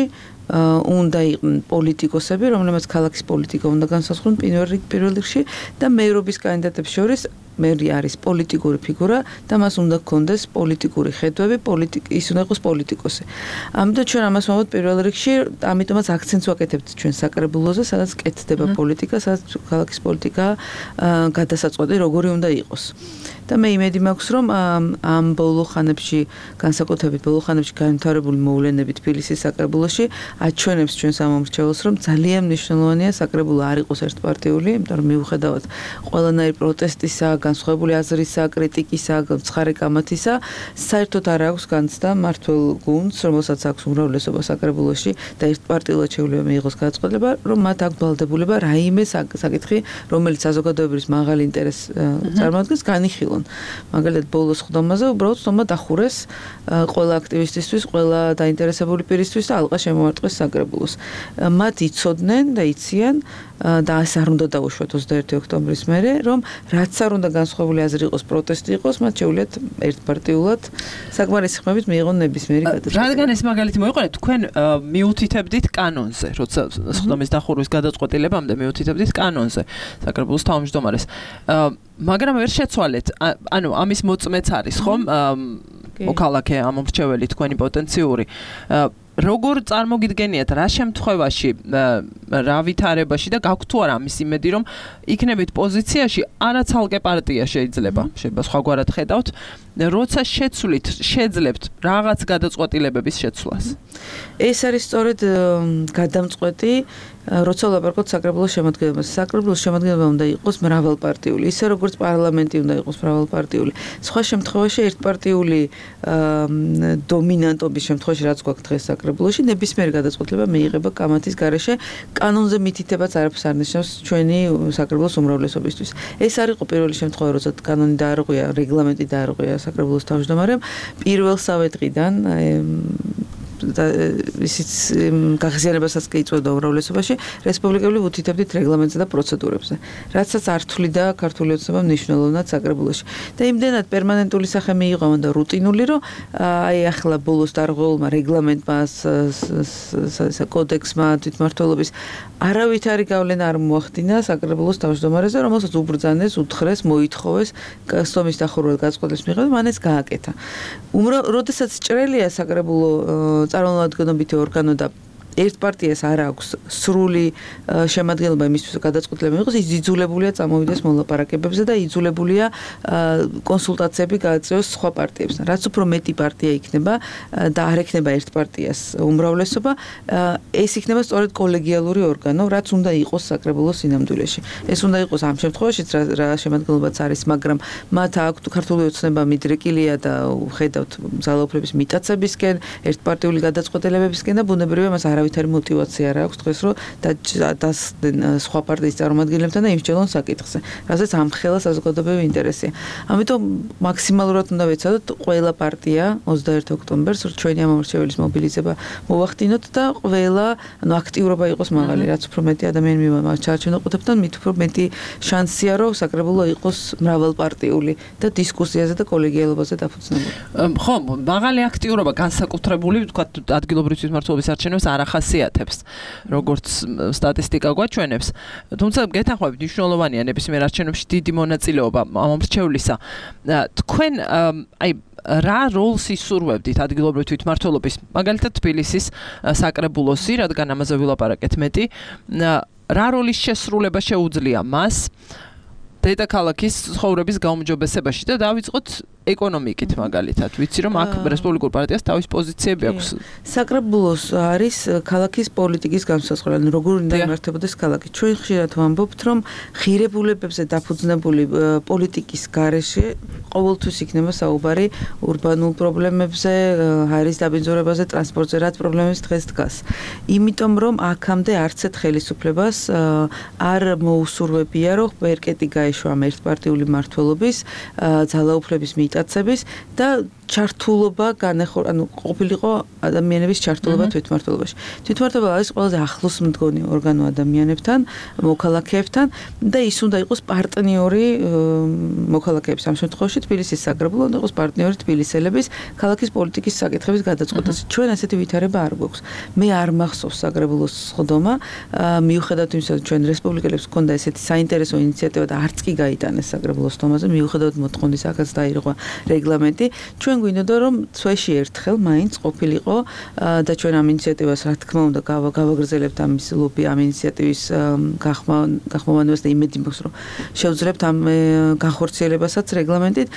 უნდა იყვნენ პოლიტიკოსები, რომლებიც ქალაქის პოლიტიკა უნდა განსაზღვრონ პირველ რიგში და მეერობის კანდიდატებს შორის მერი არის პოლიტიკური ფიგურა და მას უნდა გქონდეს პოლიტიკური ხედვები, ის უნდა იყოს პოლიტიკოსი. ამიტომ ჩვენ ამას ვამბობთ პირველ რიგში, ამიტომაც აქცენტს ვაკეთებთ ჩვენ საკრებულოზე, სადაც კეთდება პოლიტიკა, სადაც ქალაქის პოლიტიკა გადასაწყვეტი როგორი უნდა იყოს. და მე იმედი მაქვს, რომ ამ ბოლო ხანებში, განსაკუთრებით ბოლო ხანებში განვითარებული მოვლენები თბილისის საკრებულოში აჩვენებს ჩვენ სამომრჩეველს, რომ ძალიან მნიშვნელოვანია საკრებულო არ იყოს ერთპარტიული, იმიტომ რომ მიუხედავად ყველანაირი პროტესტისა, განსხვავებული აზრისა, კრიტიკისა, ცხარე კამათისა, საერთოდ არ აქვს განცდა მართველ გუნდს, რომელსაც აქვს უმრავლესობა საკრებულოში და ერთპარტიულად შეუძლია მიიღოს გადაწყვეტილება, რომ მათ აქვს ვალდებულება რაიმე საკითხი, რომელიც საზოგადოების მაღალ ინტერესს წარმოადგენს, განიხილონ. მაგალითად ბოლოს ხდომაზე უბრალოდ ხდომა დახურეს ყველა აქტივისტისთვის, ყველა დაინტერესებული პირისთვის და ალყა შემოარტყეს საკრებულოს. მათ იცოდნენ და იციან და ეს არ უნდა დაუშვათ ოცდაერთი ოქტომბრის მერე, რომ რაც არ უნდა განსხვავებული აზრი იყოს, პროტესტი იყოს, მათ შეუძლიათ ერთპარტიულად საკმარისი ხმებით მიიღონ ნებისმიერი გადაწყვეტილება. რადგან ეს მაგალითი მოიყვანეთ, თქვენ მიუთითებდით კანონზე, როცა ხდომის დახურვის გადაწყვეტილებამდე მიუთითებდით კანონზე საკრებულოს თავმჯდომარეს. მაგრამ ვერ შეცვალეთ, ანუ ამის მოწმეც არის ხომ მოქალაქე ამომრჩეველი თქვენი პოტენციური. როგორ წარმოგიდგენიათ რა შემთხვევაში, რა ვითარებაში და გაქვთ თუ არა ამის იმედი, რომ იქნებით პოზიციაში, არა ცალკე პარტია შეიძლება, შეიძლება სხვაგვარად ხედავთ, როცა შეცვლით, შეძლებთ რაღაც გადაწყვეტილებების შეცვლას. ეს არის სწორედ გადამწყვეტი, როცა ვლაპარაკობთ საკრებულოს შემადგენლობაზე. საკრებულოს შემადგენლობა უნდა იყოს მრავალპარტიული, ისე როგორც პარლამენტი უნდა იყოს მრავალპარტიული. სხვა შემთხვევაში ერთპარტიული დომინანტობის შემთხვევაში, რაც გვაქვს დღეს საკრებულოში, ნებისმიერი გადაწყვეტილება მიიღება კამათის გარეშე, კანონზე მითითებაც არაფერს არ ნიშნავს ჩვენი საკრებულოს უმრავლესობისთვის. ეს არ იყო პირველი შემთხვევა, როცა კანონი დაარღვია, რეგლამენტი დაარღვია საკრებულოს თავმჯდომარემ. პირველსავე დღიდან და ისიც გაღიზიანებასაც კი იწვევდა უმრავლესობაში, რესპუბლიკელი უთითებდით რეგლამენტზე და პროცედურებზე, რაცაც არ თვლიდა ქართული ოცნება მნიშვნელოვნად საკრებულოში. და იმდენად პერმანენტული სახე მიიღო და რუტინული, რომ აი ახლა ბოლოს დარღვეულმა რეგლამენტმა, კოდექსმა თვითმმართველობის არავითარი გავლენა არ მოახდინა საკრებულოს თავმჯდომარეზე, რომელსაც უბრძანეს, უთხრეს, მოითხოვეს ხდომის დახურვა გადაწყვეტილების მიღება, მან ეს გააკეთა. როდესაც ჭრელია საკრებულო წარმომადგენლობითი ორგანო და ერთ პარტიას არ აქვს სრული შემადგენლობა იმისთვის გადაწყვეტილება მიიღოს, ის იძულებულია წამოვიდეს მოლაპარაკებებზე და იძულებულია კონსულტაციები გააწევოს სხვა პარტიებთან. რაც უფრო მეტი პარტია იქნება და არ ექნება ერთ პარტიას უმრავლესობა, ეს იქნება სწორედ კოლეგიალური ორგანო, რაც უნდა იყოს საკრებულოს სინამდვილეში. ეს უნდა იყოს ამ შემთხვევაშიც რა შემადგენლობაც არის, მაგრამ მათ აქვთ ქართული ოცნება მიდრეკილია და ხედავთ ძალაუფლების მიტაცებისკენ, ერთპარტიული გადაწყვეტილებებისკენ და ბუნებრივია მას არავითარი мотиваცია არ აქვს დღეს რომ დასდენ სხვა პარტიის წარმომადგენლებთან და იმსჯელონ საკითხზე. რასაც ამ ხელა საზოგადოებრივი ინტერესია. ამიტომ მაქსიმალურად უნდა ვეცადოთ ყველა პარტია ოცდაერთი ოქტომბერს ჩვენი ამომრჩეველის მობილიზება მოვახდინოთ და ყველა ანუ აქტიურობა იყოს მაღალი, რაც უფრო მეტი ადამიანი მივამართ ჩარჩენოყუდებთან, მით უფრო მეტი შანსია რომ საკრებულო იყოს მრავალპარტიული და დისკუსიაზე და კოლეგიალობაზე დაფუძნებული. ხო, მაღალი აქტიურობა განსაკუთრებული, ვთქვათ, ადგილობრივი თვითმმართველობის არჩევნებს არ ახასიათებს, როგორც სტატისტიკა გვაჩვენებს. თუმცა გეთანხმებით, მნიშვნელოვანია ნებისმიერ არჩევნებში დიდი მონაწილეობა ამომრჩევლისა. თქვენ აი რა როლს ისურვებდით ადგილობრივი თვითმმართველობის, მაგალითად თბილისის საკრებულოსი, რადგან ამაზე ვილაპარაკეთ მეტი, რა როლის შესრულება შეუძლია მას დედაქალაქის ცხოვრების გაუმჯობესებაში და დავიწყოთ ეკონომიკით მაგალითად. ვიცი რომ აქ რესპუბლიკურ პარტიას თავის პოზიციები აქვს. საკრებულოს არის ქალაქის პოლიტიკის განსაზღვრა, ანუ როგორ უნდა იმართებოდეს ქალაქი. ჩვენ ხშირად ვამბობთ, რომ ღირებულებებზე დაფუძნებული პოლიტიკის გარეშე ყოველთვის იქნება საუბარი ურბანულ პრობლემებზე, ჰაერის დაბინძურებაზე, ტრანსპორტზე, რაც პრობლემებს დღეს დგას. იმიტომ რომ აქამდე არც ერთ ხელისუფლებას არ მოუსურვებია, რომ ბერკეტი გაეშვა ამ ერთპარტიული მმართველობის, ძალაუფლების მიტაცების და ჩართულობა განეხორ, ანუ ყოფილიყო ადამიანების ჩართულობა თვითმმართველობაში. თვითმმართველობა არის ყველაზე ახლოს მდგომი ორგანო ადამიანებთან, მოქალაქეებთან და ის უნდა იყოს პარტნიორი მოქალაქეების. ამ შემთხვევაში თბილისის საკრებულო უნდა იყოს პარტნიორი თბილისელების ქალაქის პოლიტიკის საკითხების გადაწყვეტაზე. ჩვენ ასეთი ვითარება არ გვაქვს. მე არ მახსოვს საკრებულოს სხდომა, მიუხედავად იმისა, რომ ჩვენ რესპუბლიკელებს ჰქონდა ესეთი საინტერესო ინიციატივა და არც კი გაიტანეს საკრებულოს სხდომაზე, მიუხედავად მოთხოვნის აქაც დაირღვა რეგლამენტი. ჩვენ გვინდოდა რომ წვეში ერთხელ მაინც ყოფილიყო და ჩვენ ამ ინიციატივას რა თქმა უნდა გავაგრძელებთ ამის ლობი ამ ინიციატივის გახმოვანებას და იმედი მაქვს რომ შევძლებთ ამ განხორციელებასაც რეგლამენტით.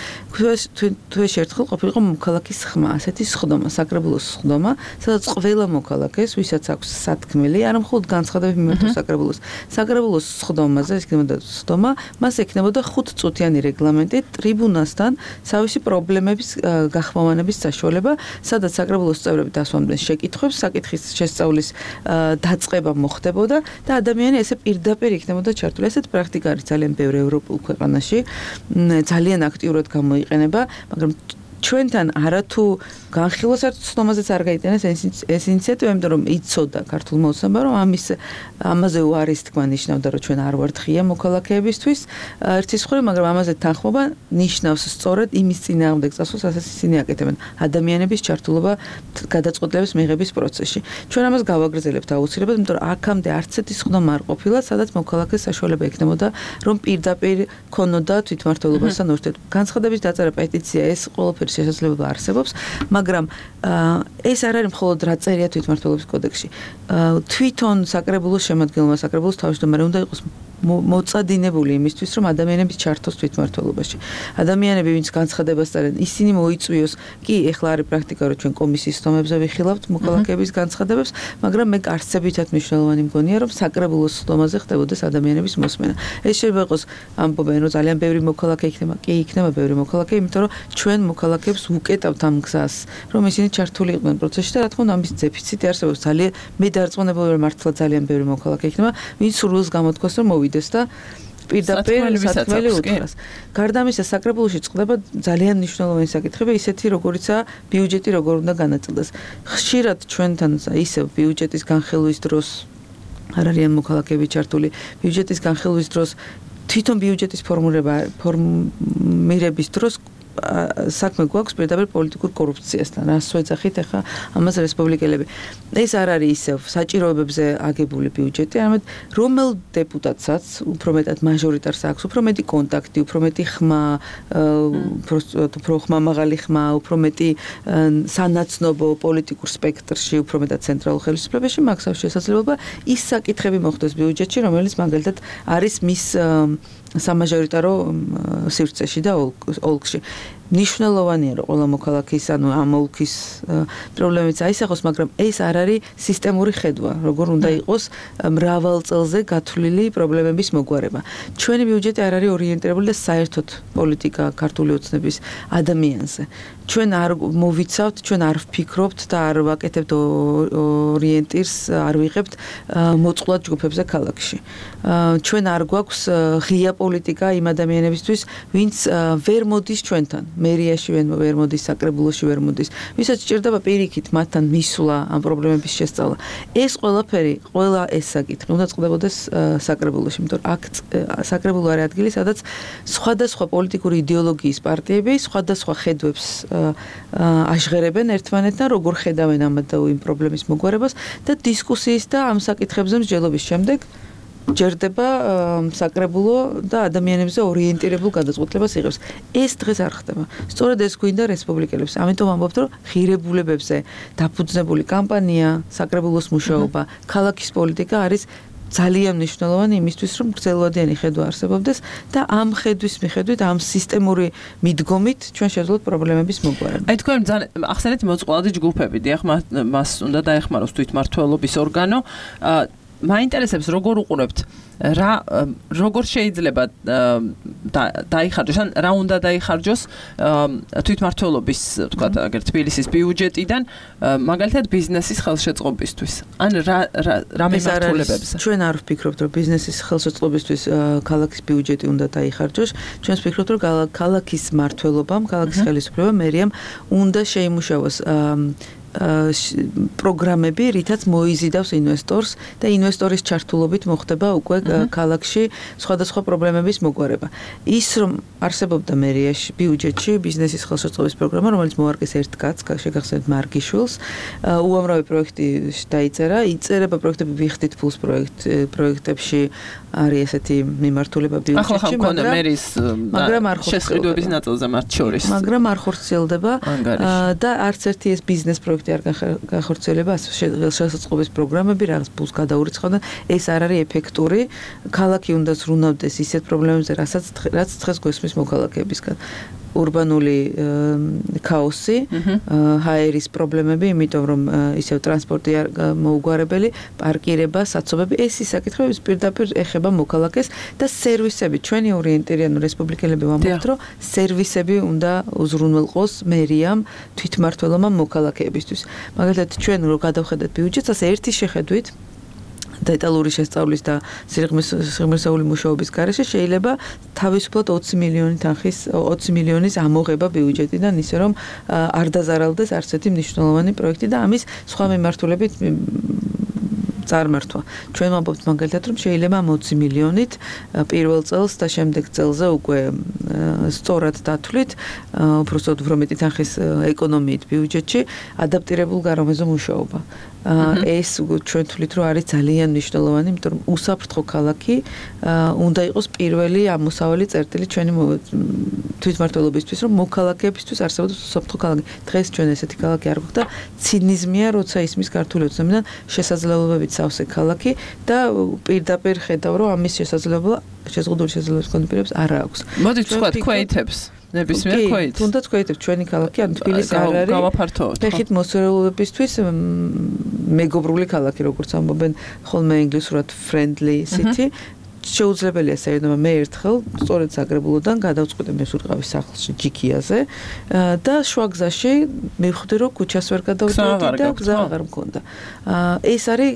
წვეში ერთხელ ყოფილიყო მოქალაქის ხმა, ასეთი სხდომა, საკრებულოს სხდომა, სადაც ყველა მოქალაქეს, ვისაც აქვს სათქმელი, არა მხოლოდ განცხადები მიმართოს საკრებულოს, საკრებულოს სხდომაზე, ეს იქნებოდა სხდომა, მას ექნებოდა ხუთწუთიანი რეგლამენტი ტრიბუნასთან თავისი პრობლემების გახმოვანების საშუალება, სადაც საკრებულოს წევრები დასვამდნენ შეკითხვებს, საკითხის შესწავლის დაწყება მოხდებოდა და ადამიანი ესე პირდაპირ იქნებოდა ჩართული. ესეთ პრაქტიკა არის ძალიან ბევრ ევროპულ ქვეყანაში, ძალიან აქტიურად გამოიყენება, მაგრამ ჩვენთან არათუ განხილვას არც სხდომაზეც არ გაიტანეს ეს ინიციატივა, იმიტომ რომ იცოდა ქართულმა ოცნებამ, რომ ამის ამაზე უარის თქმა ნიშნავდა, რომ ჩვენ არ ვართ ღია მოქალაქეებისთვის ერთის მხრივ, მაგრამ ამაზე თანხმობა ნიშნავს სწორედ იმის წინააღმდეგ წასვლას, რასაც ისინი აკეთებენ, ადამიანების ჩართულობა გადაწყვეტილების მიღების პროცესში. ჩვენ ამას გავაგრძელებთ აუცილებლად, იმიტომ რომ აქამდე არც ერთი სხდომა არ ყოფილა, სადაც მოქალაქეს საშუალება ექნებოდა, რომ პირდაპირ ქონოდა თვითმმართველობასთან ურთიერთობა. განცხადების დაწერა, პეტიცია, ეს ყველაფერი შესაძლებლობა არსებობს, მაგრამ ეს არ არის მხოლოდ რა წერია თვითმმართველობის კოდექსში. თვითონ საკრებულოს შემადგენლობა, საკრებულოს თავმჯდომარე უნდა იყოს მოწადინებული იმისთვის, რომ ადამიანები ჩართოს თვითმმართველობაში. ადამიანები, ვინც განცხადებას წერენ, ისინი მოიწვიოს. კი, ეხლა არის პრაქტიკა, რომ ჩვენ კომისიის სხდომებზე ვიხილავთ მოქალაქეების განცხადებებს, მაგრამ მე არცებითად მნიშვნელოვანი მგონია, რომ საკრებულოს სხდომაზე ხდებოდეს ადამიანების მოსმენა. ეს შეიძლება იყოს ამბობენ, რომ ძალიან ბევრი მოქალაქე იქნება. კი, იქნება ბევრი მოქალაქე, იმიტომ რომ ჩვენ მოქალაქეებს ვუკეტავთ ამ გზას, რომ ისინი ჩართული იყვნენ პროცესში და რა თქმა უნდა ამის დეფიციტი არსებობს. ძალიან მე დარწმუნებული ვარ, მართლა ძალიან ბევრი მოქალაქე იქნება, ვინც სურვილს გამოთქვას, რომ მოვიდეს და პირდაპირ სათქმელი უთხრას. გარდა ამისა, საკრებულოში წყდება ძალიან მნიშვნელოვანი საკითხები, ისეთი როგორიცაა ბიუჯეტი, როგორ უნდა განაწილდეს. ხშირად ჩვენთან ისევ ბიუჯეტის განხილვის დროს არ არიან მოქალაქეები ჩართული, ბიუჯეტის განხილვის დროს თვითონ ბიუჯეტის ფორმულება ფორმირების დროს საქმე გვაქვს პირდაპირ პოლიტიკურ კორუფციასთან. რას ვეძახით ახლა ამას რესპუბლიკელები. ეს არ არის ისევ საჭიროებებზე აგებული ბიუჯეტი, არამედ რომელ დეპუტატსაც უფრო მეტად მაჟორიტარს აქვს, უფრო მეტი კონტაქტი, უფრო მეტი ხმა, უფრო ხმა მაღალი ხმა, უფრო მეტი სანაცნობო პოლიტიკურ სპექტრში, უფრო მეტად ცენტრალურ ხელისუფლებაში მაქვს შესაძლებლობა ის საკითხები მოხდეს ბიუჯეტში, რომელიც მაგალითად არის მის სამაჟორიტარო სივრცეში და ოლქში. ნიშნულოვანია რომ ყველა მოქალაქის ანუ ამ ოლქის პრობლემებს აისახოს, მაგრამ ეს არ არის სისტემური ხედვა, როგორ უნდა იყოს მრავალ წელზე გათვლილი პრობლემების მოგვარება. ჩვენი ბიუჯეტი არ არის ორიენტირებული და საერთოდ პოლიტიკა ქართული ოცნების ადამიანზე. ჩვენ არ მოვიცავთ, ჩვენ არ ვფიქრობთ და არ ვაკეთებთ ორიენტირს, არ ვიღებთ მოწყვლად ჯგუფებზე ქალაქში. ჩვენ არ გვაქვს ღია პოლიტიკა იმ ადამიანებისთვის, ვინც ვერ მოდის ჩვენთან. მერიაში ვერ მოდის, საკრებულოში ვერ მოდის. ვისაც სჭირდება პირიქით მათთან მისვლა, ამ პრობლემების შესწავლა. ეს ყველაფერი, ყველა ეს საკითხი უნდა წყდებოდეს საკრებულოში, იმიტომ რომ აქ საკრებულო არის ადგილი, სადაც სხვადასხვა პოლიტიკური იდეოლოგიის პარტიები სხვადასხვა ხედვებს აშღერებენ ერთმანეთთან, როგორ ხედავენ ამ და იმ პრობლემის მოგვარებას და დისკუსიის და ამ საკითხებზე მსჯელობის შემდეგ ჯერდება საკრებულო და ადამიანებზე ორიენტირებულ გადაწყვეტილებას იღებს. ეს დღეს არ ხდება. სწორედ ეს გვინდა რესპუბლიკელებს. ამიტომ ამბობთ, რომ ღირებულებებზე დაფუძნებული კამპანია, საკრებულოს მუშაობა, ქალაქის პოლიტიკა არის ძალიან მნიშვნელოვანი იმისთვის, რომ გრძელვადიანი ხედვა არსებობდეს და ამ ხედვის მიხედვით, ამ სისტემური მიდგომით ჩვენ შევძლოთ პრობლემების მოგვარება. აი თქვენ ძალიან ახსენეთ მოწყვლადი ჯგუფები, დიახ, მას უნდა დაეხმაროს თვითმმართველობის ორგანო. მაინტერესებს როგორ უყურებთ რა როგორ შეიძლება დაიხარჯოს ან რა უნდა დაიხარჯოს თვითმმართველობის თქვა აგერ თბილისის ბიუჯეტიდან მაგალითად ბიზნესის ხელშეწყობისთვის ან რა რა მიმართულებებზე ჩვენ არ ვფიქრობთ რომ ბიზნესის ხელშეწყობისთვის ქალაქის ბიუჯეტი უნდა დაიხარჯოს ჩვენ ვფიქრობთ რომ ქალაქის მმართველობამ ქალაქის ხელისუფლებამ მერიამ უნდა შეიმუშაოს პროგრამები, რითაც მოიზიდავს ინვესტორს და ინვესტორის ჩართულობით მოხდება უკვე ქალაქში სხვადასხვა პრობლემების მოგვარება. ის რომ არსებობდა მერიაში ბიუჯეტში ბიზნესის ხელშეწყობის პროგრამა, რომელიც მოარგეს ერთ კაცს, შეგახსენებთ მარგიშვილს, უამრავი პროექტი დაიწერა, იწერება პროექტები ვიხდით ფულს პროექტებში არის ესეთი მიმართულება ბიუჯეტში, მაგრამ არ შესყიდვების ნაწილზე მათ შორის. მაგრამ არ ხორციელდება და არც ერთი ეს ბიზნეს პროექტი არ გახორციელება შესაძლებლობის პროგრამები რაღაც ფულს გადაურიცხავდა ეს არ არის ეფექტური ქალაქი უნდა ზრუნავდეს ისეთ პრობლემებზე რასაც რაც დღეს გვესმის მოქალაქეებისგან урбанული ქაოსი, ჰაერის პრობლემები, იმიტომ რომ ისევ ტრანსპორტი არ მოუგვარებელი, პარკირება, საცობები, ეს ის საკითხები პირდაპირ ეხება მოქალაქეს და სერვისები. ჩვენი ორიენტირიანი რესპუბლიკელები ვამბობთ, რომ სერვისები უნდა უზრუნველყოს მერიამ თვითმმართველობამ მოქალაქეებისთვის. მაგალითად, ჩვენ რო გადავხედეთ ბიუჯეტს, ასე ერთი შეხედვით დეტალური შესწავლის და სიღრმისეული მუშაობის გარეშე შეიძლება თავისუფლად ოცი მილიონი თანხის ოცი მილიონის ამოღება ბიუჯეტიდან ისე რომ არ დაზარალდეს არც ერთი მნიშვნელოვანი პროექტი და ამის სხვა მიმართულებით წარმართვა. ჩვენ ვამბობთ მაგალითად რომ შეიძლება ამ ოცი მილიონით პირველ წელს და შემდეგ წელზე უკვე სწორად დათვლით უბრალოდ უფრო მეტი თანხის ეკონომიით ბიუჯეტში ადაპტირებულ გარემოზე მუშაობა. ეს ჩვენ თვლით რომ არის ძალიან მნიშვნელოვანი, იმიტომ რომ უსაფრთხო ქალაქი უნდა იყოს პირველი ამოსავალი წერტილი ჩვენი თვითმმართველობისთვის, რომ მოქალაქეებისთვის არსებობს უსაფრთხო ქალაქი. დღეს ჩვენ ესეთი ქალაქი არ გვაქვს და ცინიზმია, როცა ისმის ქართული ოცნებიდან შესაძლებლობებით სავსე ქალაქი და პირდაპირ ხედავ რომ ამის შესაძლებლობა შეზღუდული შესაძლებლობის კონდიციონებს არ აქვს. მოდით ვთქვათ ქვეითებს ნებისმიერ ქვეით. თუნდაც ქვეითებს ჩვენი ქალაქი ან თბილისი არ არის. გავაფართოვოთ. ფეხით მოსვერულებისთვის მეგობრული ქალაქი, როგორც ამბობენ ხოლმე ინგლისურად friendly city. შეუძლებელია საერთოდ მე ერთხელ სწორედ საკრებულოდან გადავწყვიტე მე სულყავის სახლში ჯიქიაზე და შუაგზაში მივხვდი რომ ქუჩას ვერ გადავდივდი და გზა აღარ მქონდა. ეს არის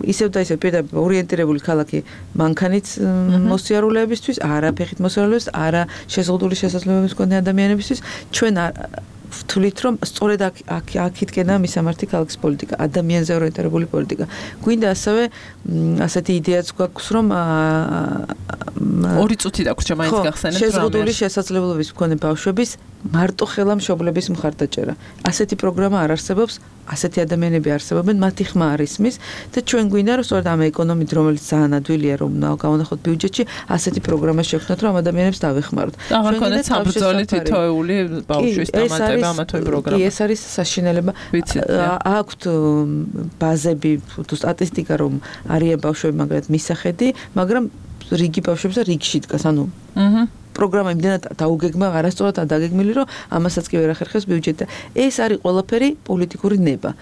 ისევ და ისევ პირდაპირ ორიენტირებული ქალაქი მანქანით მოსიარულეებისთვის, არა ფეხით მოსიარულეებისთვის, არა შეზღუდული შესაძლებლობების მქონე ადამიანებისთვის. ჩვენ ვთვლით რომ სწორედ აქ აქითკენაა მისამართი ქალაქის პოლიტიკა, ადამიანზე ორიენტირებული პოლიტიკა. გვინდა ასევე ასეთი იდეაც გვაქვს რომ ორი წუთი დაგვრჩა მაინც გახსენებთ რამე. შეზღუდული შესაძლებლობების მქონე ბავშვების მარტო ხელა მშობლების მხარდაჭერა. ასეთი პროგრამა არ არსებობს, ასეთი ადამიანები არსებობენ, მათი ხმა არ ისმის და ჩვენ გვინდა რომ სწორედ ამ ეკონომით, რომელიც ძალიან ადვილია რომ გავანახოთ ბიუჯეტში, ასეთი პროგრამა შევქმნათ, რომ ადამიანებს დავეხმაროთ. აღარ ქონდეთ საბრძოლი თითოეული ბავშვის დამატება ამა თუ იმ პროგრამას. კი, ეს არის საშინელება. აქვთ ბაზები, თუ სტატისტიკა რომ არიან ბავშვები, მაგრამ მისახედი, მაგრამ რიგი ბავშვებს და რიგში დგას, ანუ აჰა პროგრამა იმდენად დაუგეგმა, არასწორად დაგეგმილი, რომ ამასაც კი ვერ ახერხებს ბიუჯეტი. ეს არის ყველაფერი პოლიტიკური ნება.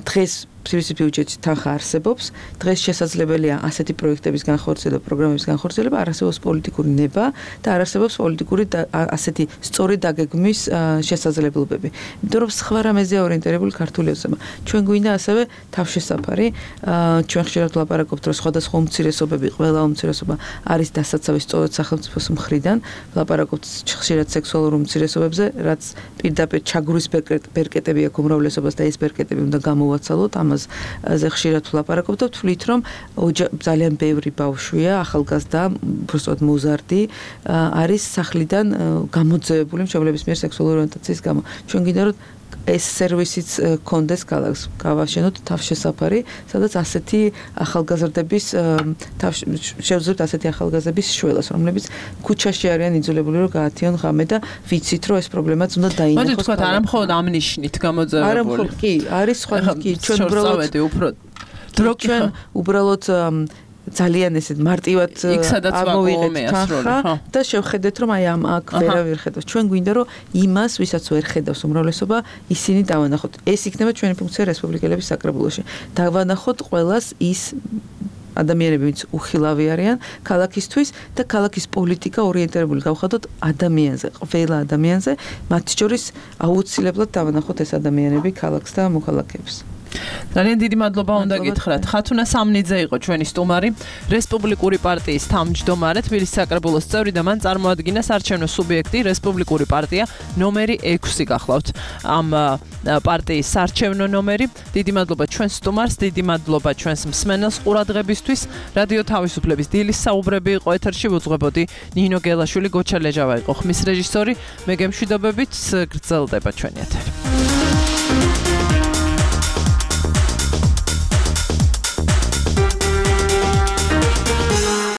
დღეს ფსრის ბიუჯეტში თანხა არსებობს, დღეს შესაძლებელია ასეთი პროექტების განხორციელება, პროგრამების განხორციელება, არ არსებობს პოლიტიკური ნება და არ არსებობს პოლიტიკური ასეთი სწორი დაგეგმვის შესაძლებლობები. იმიტომ რომ სხვა რამეზე ორიენტირებული ქართული ოცნება. ჩვენ გვინდა ასევე თავშესაფარი, ჩვენ ხშირად ვლაპარაკობთ, რომ სხვადასხვა უმცირესობები, ყველა უმცირესობა არის დასაცავი სწორედ სახელმწიფოს მხრიდან, ვლაპარაკობთ ხშირად სექსუალურ უმცირესობებზე, რაც პირდაპირ ჩაგვრის ბერკეტები აქვს უმრავლესობას და ეს ბერკეტები უნდა გამოვაცალოთ. ზე ხშირად ვლაპარაკობთ და ვთვლით რომ ძალიან ბევრი ბავშვია, ახალგაზრდა, უბრალოდ მოზარდი არის სახლიდან გამოძევებული მშობლების მიერ სექსუალური ორიენტაციის გამო. ჩვენ გინდა რომ ეს სერვისიც კონდეს ქალაქს, გავაშენოთ თავშესაფარი, სადაც ასეთი ახალგაზრდების შევძლებთ ასეთი ახალგაზრდების შველას, რომლებიც ქუჩაში არიან იძულებული რომ გაათიონ ღამე და ვიცით რომ ეს პრობლემაც უნდა დაინახოს. მოდი თქვათ, არა მხოლოდ ამ ნიშნით გამოძევებული. არა მხოლოდ, კი, არის სხვა კი, ჩვენ უბრალოდ დრო ჩვენ უბრალოდ ძალიან ესეთ მარტივად ამოვიღეთ თანხა და შევხედეთ რომ აი ამ აქ ვერავინ ხედავს. ჩვენ გვინდა რომ იმას, ვისაც ვერ ხედავს უმრავლესობა, ისინი დავანახოთ. ეს იქნება ჩვენი ფუნქცია რესპუბლიკელების საკრებულოში. დავანახოთ ყველას ის ადამიანები, ვინც უხილავი არიან ქალაქისთვის და ქალაქის პოლიტიკა ორიენტირებული გავხადოთ ადამიანზე, ყველა ადამიანზე, მათ შორის აუცილებლად დავანახოთ ეს ადამიანები ქალაქს და მოქალაქეებს. ძალიან დიდი მადლობა უნდა გითხრათ. ხათუნა სამნიძე იყო ჩვენი სტუმარი, რესპუბლიკური პარტიის თავმჯდომარე, თბილისის საკრებულოს წევრი და მან წარმოადგინა საარჩევნო სუბიექტი რესპუბლიკური პარტია ნომერი ექვსი გახლავთ. ამ პარტიის საარჩევნო ნომერი. დიდი მადლობა ჩვენს სტუმარს, დიდი მადლობა ჩვენს მსმენელს ყურადღებისთვის. რადიო თავისუფლების დილის საუბრები იყო ეთერში, ვუძღვებოდი ნინო გელაშვილი, გოჩა ლეჟავა იყო ხმის რეჟისორი. მე გემშვიდობებით, გრძელდება ჩვენი ეთერი.